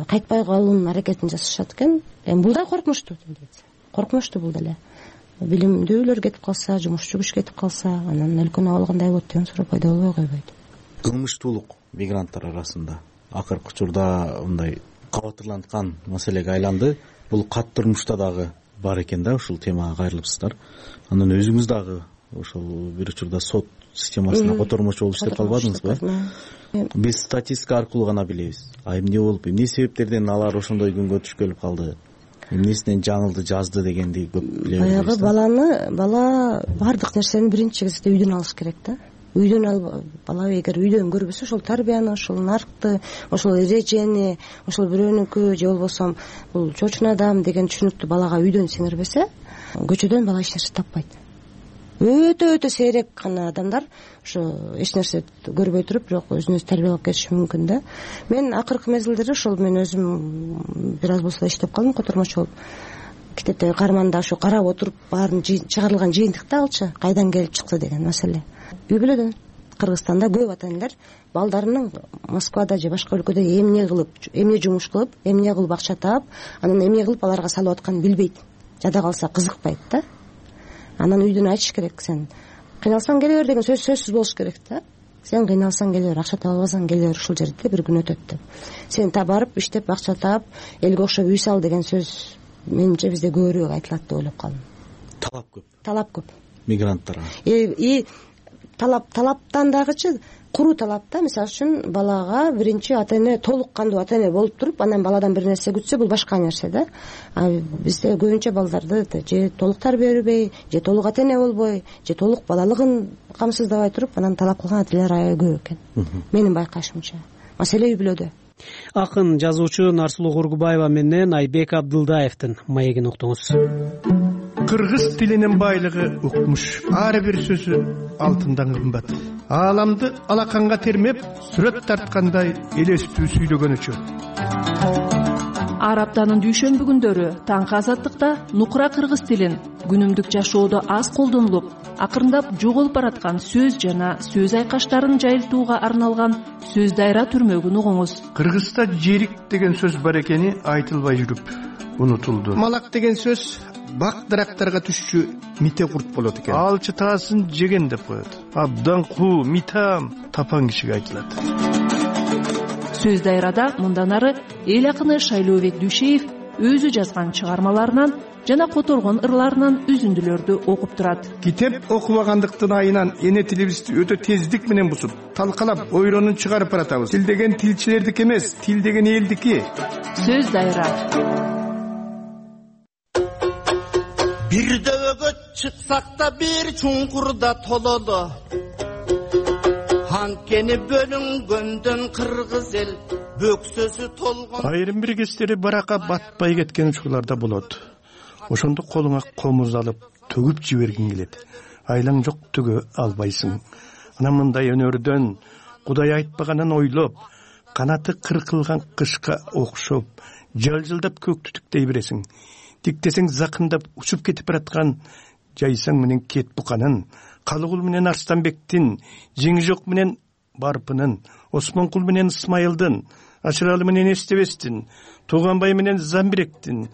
кайтпай калуунун аракетин жасашат экен. Эми бул да коркунучтуу, коркунучтуу бул деле. Билимдүүлөр кетип калса, жумушчу күч кетип калса, анан өлкөнүн абалы кандай болот деген суроо пайда болбой койбойт.
Кылмыштуулук мигранттар арасында акыркы учурда мындай кабатырланткан маселеге айланды. Бул кат турмушта дагы бар экен да, ушул темага кайрылыпсыздар. Анан өзүңүз дагы ошол бир учурда сот системасына котормочу болуп иштеп калбадыңызбы? Биз статистика аркылуу гана билебиз. А эмне болуп, эмне себептерден алар ошондой күнгө түшкөлүп калды? Эмнесинен жаңылды, жазды дегенди көп билебиз.
Баягы баланы, бала бардык нерсени биринчи кезекте үйдөн алыш керек да. Үйдөн ал бала эгер үйдөн көрбөсө, ошол тарбияны, ошол наркты, ошол эрежени, ошол бирөөнүкү же болбосо бул чочун адам деген түшүнүктү балага үйдөн сиңирбесе, көчөдөн бала эч нерсе таппайт. Өтө-өтө сейрек гана адамдар ошо эч нерсе көрбөй туруп, бирок өзүн өзү тарбиялап кетиши мүмкүн да. Мен акыркы мезгилдерде ошол мен өзүм бир аз болсо иштеп калдым, котормочу болуп. Китепте карманда ошо карап отуруп баарын чыгарылган жыйынтыкта алчы, кайдан келип чыкты деген маселе. Үй бүлөдөн Кыргызстанда көп ата-энелер балдарынын Москвада же башка өлкөдө эмне кылып, эмне жумуш кылып, эмне кылып акча таап, анан эмне кылып аларга салып атканын билбейт. Жада калса кызыкпайт да. Анан үйдөн айтыш керек, сен кыйналсаң келе бер деген сөз сөзсүз болуш керек да. Сен кыйналсаң келе бер, акча таап албасаң келе бер, ушул жерде бир күн өтөт деп. Сен та барып иштеп акча таап, элге окшоп үй сал деген сөз менимче бизде көбүрөөк айтылат деп ойлоп калдым.
Талап көп.
Талап көп.
Мигранттарга.
И талап талаптан дагычы куруу талап да. Мисалы үчүн балага биринчи ата-эне толук кандуу ата-эне болуп туруп, анан баладан бир нерсе күтсө, бул башка нерсе да. А бизде көбүнчө балдарды же толук тарбия бербей, же толук ата-эне болбой, же толук балалыгын камсыздабай туруп, анан талап кылган ата-энелер аябай көп экен. Менин байкашымча. Маселе үй бүлөдө.
Акын жазуучу Нарсулуу Кургубаева менен Айбек Абдылдаевдин маегин уктуңуз.
Кыргыз тилинин байлыгы укмуш. Ар бир сөзү алтындан кымбат. Ааламды алаканга термеп, сүрөт тарткандай элестүү сүйлөгөнүчө.
Ар аптанын дүйшөмбү күндөрү таңкы азаттыкта нукура кыргыз тилин күнүмдүк жашоодо аз колдонулуп, акырындап жоголуп бараткан сөз жана сөз айкаштарын жайылтууга арналган сөз дайра түрмөгүн угуңуз.
Кыргызда жерик деген сөз бар экени айтылбай жүрүп унутулду. Малак деген сөз бак дарактарга түшчү мите курт болот экен. Алчы таасын жеген деп коет. Абдан куу, митам тапан кишиге айтылат.
Сөз дайрада мындан ары эл акыны Шайлообек Дүйшеев өзү жазган чыгармаларынан жана которгон ырларынан үзүндүлөрдү окуп турат.
Китеп окубагандыктын айынан эне тилибизди өтө тездик менен бузуп, талкалап, ойронун чыгарып баратабыз. Тил деген тилчилердики эмес, тил деген элдики.
Сөз дайра.
Бир дөөгө чыксак да бир чуңкурда тололу. Анткени бөлүнгөндөн кыргыз эл бөксөсү толгон.
Айрым бир кездери баракка батпай кеткен учурларда болот. Ошондо колуңа комуз алып төгүп жибергиң келет.
айлаң жок төгө албайсың. Анан мындай өнөрдөн Кудай айтпаганын ойлоп, канаты кыркылган кышка окшоп, жалжылдап көк түтүктей бересиң. Диктесең закындап учуп кетип бараткан жайсаң менен кет буканын, Калыгул менен Арстанбектин, Жеңи жок менен Барпынын, Осмонкул менен Исмайылдын, Ашыралы менен Эстебестин, Тууганбай менен Замбиректин,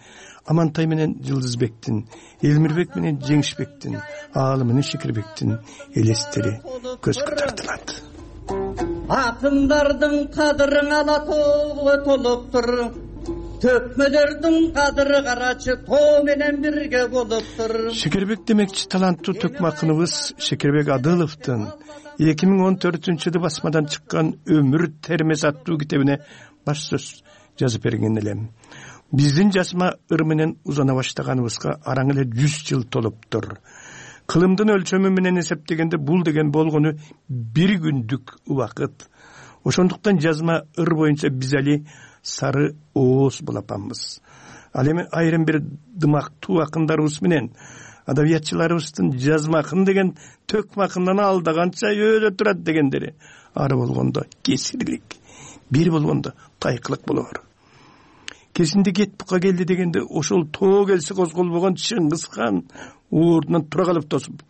Амантай менен Жылдызбектин, Элмирбек менен Жеңишбектин, Аалы менен Шекирбектин элестери көзгө тартылат.
Акындардын кадырын ала тоого толуптур, төкмөлөрдүн кадыры карачы тоо менен бирге болуптур.
Шекербек демекчи таланттуу төкмө акыныбыз Шекербек Адыловдун эки миң он төртүнчү жылы басмадан чыккан Өмүр термес аттуу китебине баш сөз жазып берген элем. Биздин жасма ыр менен узана баштаганыбызга араң эле жүз жыл толуптур. Кылымдын өлчөмү менен эсептегенде бул деген болгону бир күндүк убакыт. Ошондуктан жазма ыр боюнча биз али сары ооз булапанбыз. Ал эми айрым бир дымактуу акындарыбыз менен адабиятчыларыбыздын жазма акын деген төкмө акындан алдаганча өйдө турат дегендери ары болгондо кесирлик, бир болгондо тайкылык болор. Кесинде кет бука келди дегенде ошол тоо келсе козголбогон Чыңгыз хан ордунан тура калып тосуп,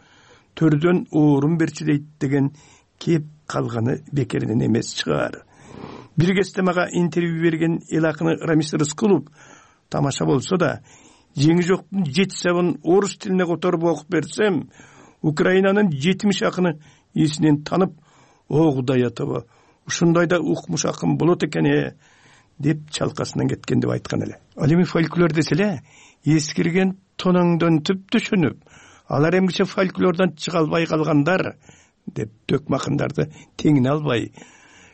төрдөн орун берчи дейт деген кеп калганы бекеринен эмес чыгар. Бир кезде мага интервью берген эл акыны Рамис Рыскулов тамаша болсо да, Жеңи жоктун жети сабын орус тилине которуп окуп берсем, Украинанын жетимиш акыны эсинен танып, о Кудай атаба, ушундай да укмуш акын болот экен э деп чалкасынан кеткен деп айткан эле. Ал эми фольклор десе эле, эскирген тоноңдон түп түшүнүп, алар эмгиче фольклордон чыга албай калгандар деп төкмө акындарды теңине албай,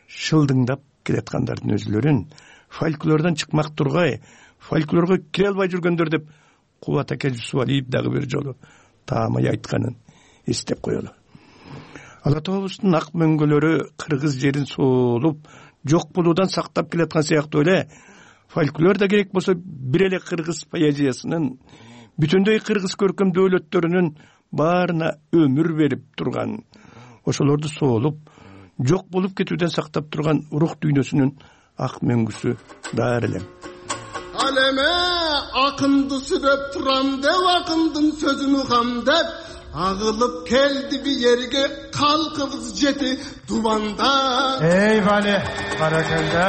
шылдыңдап келаткандардын өзүлөрүн фольклордон чыкмак тургай, фольклорго кире албай жүргөндөр деп Кубат аке Жусупалиев дагы бир жолу таамай айтканын эстеп коелу. Ала тообуздун ак мөңгөлөрү кыргыз жерин соолуп, жок болуудан сактап келаткан сыяктуу эле фольклор да керек болсо бир эле кыргыз поэзиясынын, бүтүндөй кыргыз көркөм дөөлөттөрүнүн баарына өмүр берип турган, ошолорду соолуп, жок болуп кетүүдөн сактап турган рух дүйнөсүнүн ак мөңгүсү баар элем.
Ал эме акынды сүрөп турам деп, акындын сөзүн угам деп, агылып келди би жерге калкыбыз жети дубанда.
Эй Вали, баракелде.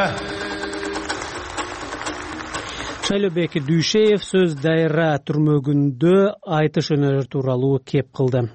Шайлообек Дүйшеев сөз дайра түрмөгүндө айтыш өнөрү тууралуу кеп кылды.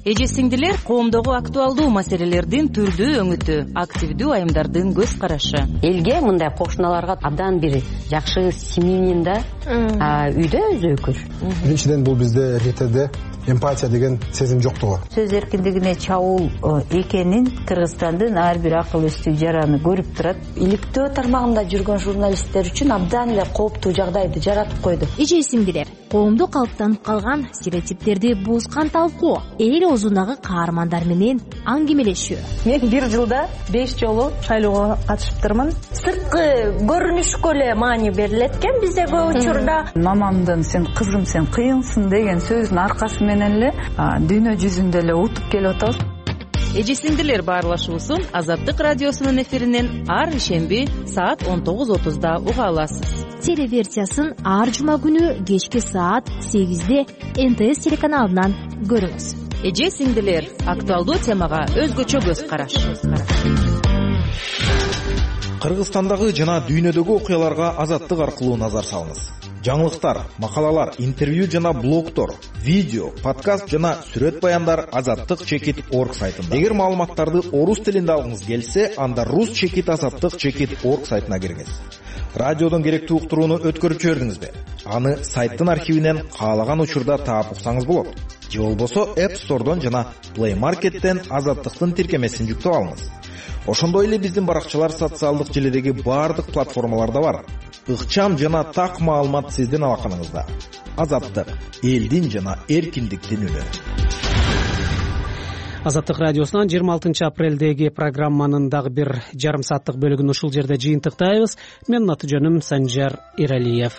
Эже сиңдилер, коомдогу актуалдуу маселелердин түрдүү өңүтү, активдүү айымдардын көз карашы.
Элге мындай кошуналарга абдан бир жакшы семьянин да үйдө өзөкүр.
Биринчиден бул бизде эркектерде эмпатия деген сезим жоктугу.
Сөз эркиндигине чабуул экенин Кыргызстандын ар бир акыл эстүү жараны көрүп турат.
Иликтөө тармагында жүргөн журналисттер үчүн абдан эле кооптуу жагдайды жаратып койду.
Эже сиңдилер, коомдо калыптанып калган стереотиптерди бузган талкуу, эл оозундагы каармандар менен аңгемелешүү.
Мен бир жылда беш жолу шайлоого катышыптырмын. Сырткы көрүнүшкө эле маани берилет экен бизде көп учурда.
Мамамдын сен кызым сен кыйынсың деген сөзүнүн аркасы менен эле дүйнө жүзүндө эле утуп келип атабыз.
Эже сиңдилер баарлашуусун Азаттык радиосунун эфиринен ар ишемби саат он тогуз отузда уга аласыз.
Телеверсиясын ар жума күнү кечки саат сегизде эн тэ эс телеканалынан көрүңүз.
Эже сиңдилер, актуалдуу темага өзгөчө көз караш.
Кыргызстандагы жана дүйнөдөгү окуяларга Азаттык аркылуу назар салыңыз. Жаңылыктар, макалалар, интервью жана блогтор, видео, подкаст жана сүрөт баяндар азаттык чекит орг сайтында. Эгер маалыматтарды орус тилинде алгыңыз келсе, анда рус чекит азаттык чекит орг сайтына кириңиз. Радиодон керектүү уктурууну өткөрүп жибердиңизби? Аны сайттын архивинен каалаган учурда таап уксаңыз болот. Же болбосо App Store'дон жана Play Market'тен азаттыктын тиркемесин жүктөп алыңыз. Ошондой эле биздин баракчалар социалдык желидеги баардык платформаларда бар. Ыкчам жана так маалымат сиздин алаканыңызда. Азаттык, элдин жана эркиндиктин үнү.
Азаттык радиосунан жыйырма алтынчы апрелдеги программанын дагы бир жарым сааттык бөлүгүн ушул жерде жыйынтыктайбыз. Менин аты жөнүм Санжар Иралиев.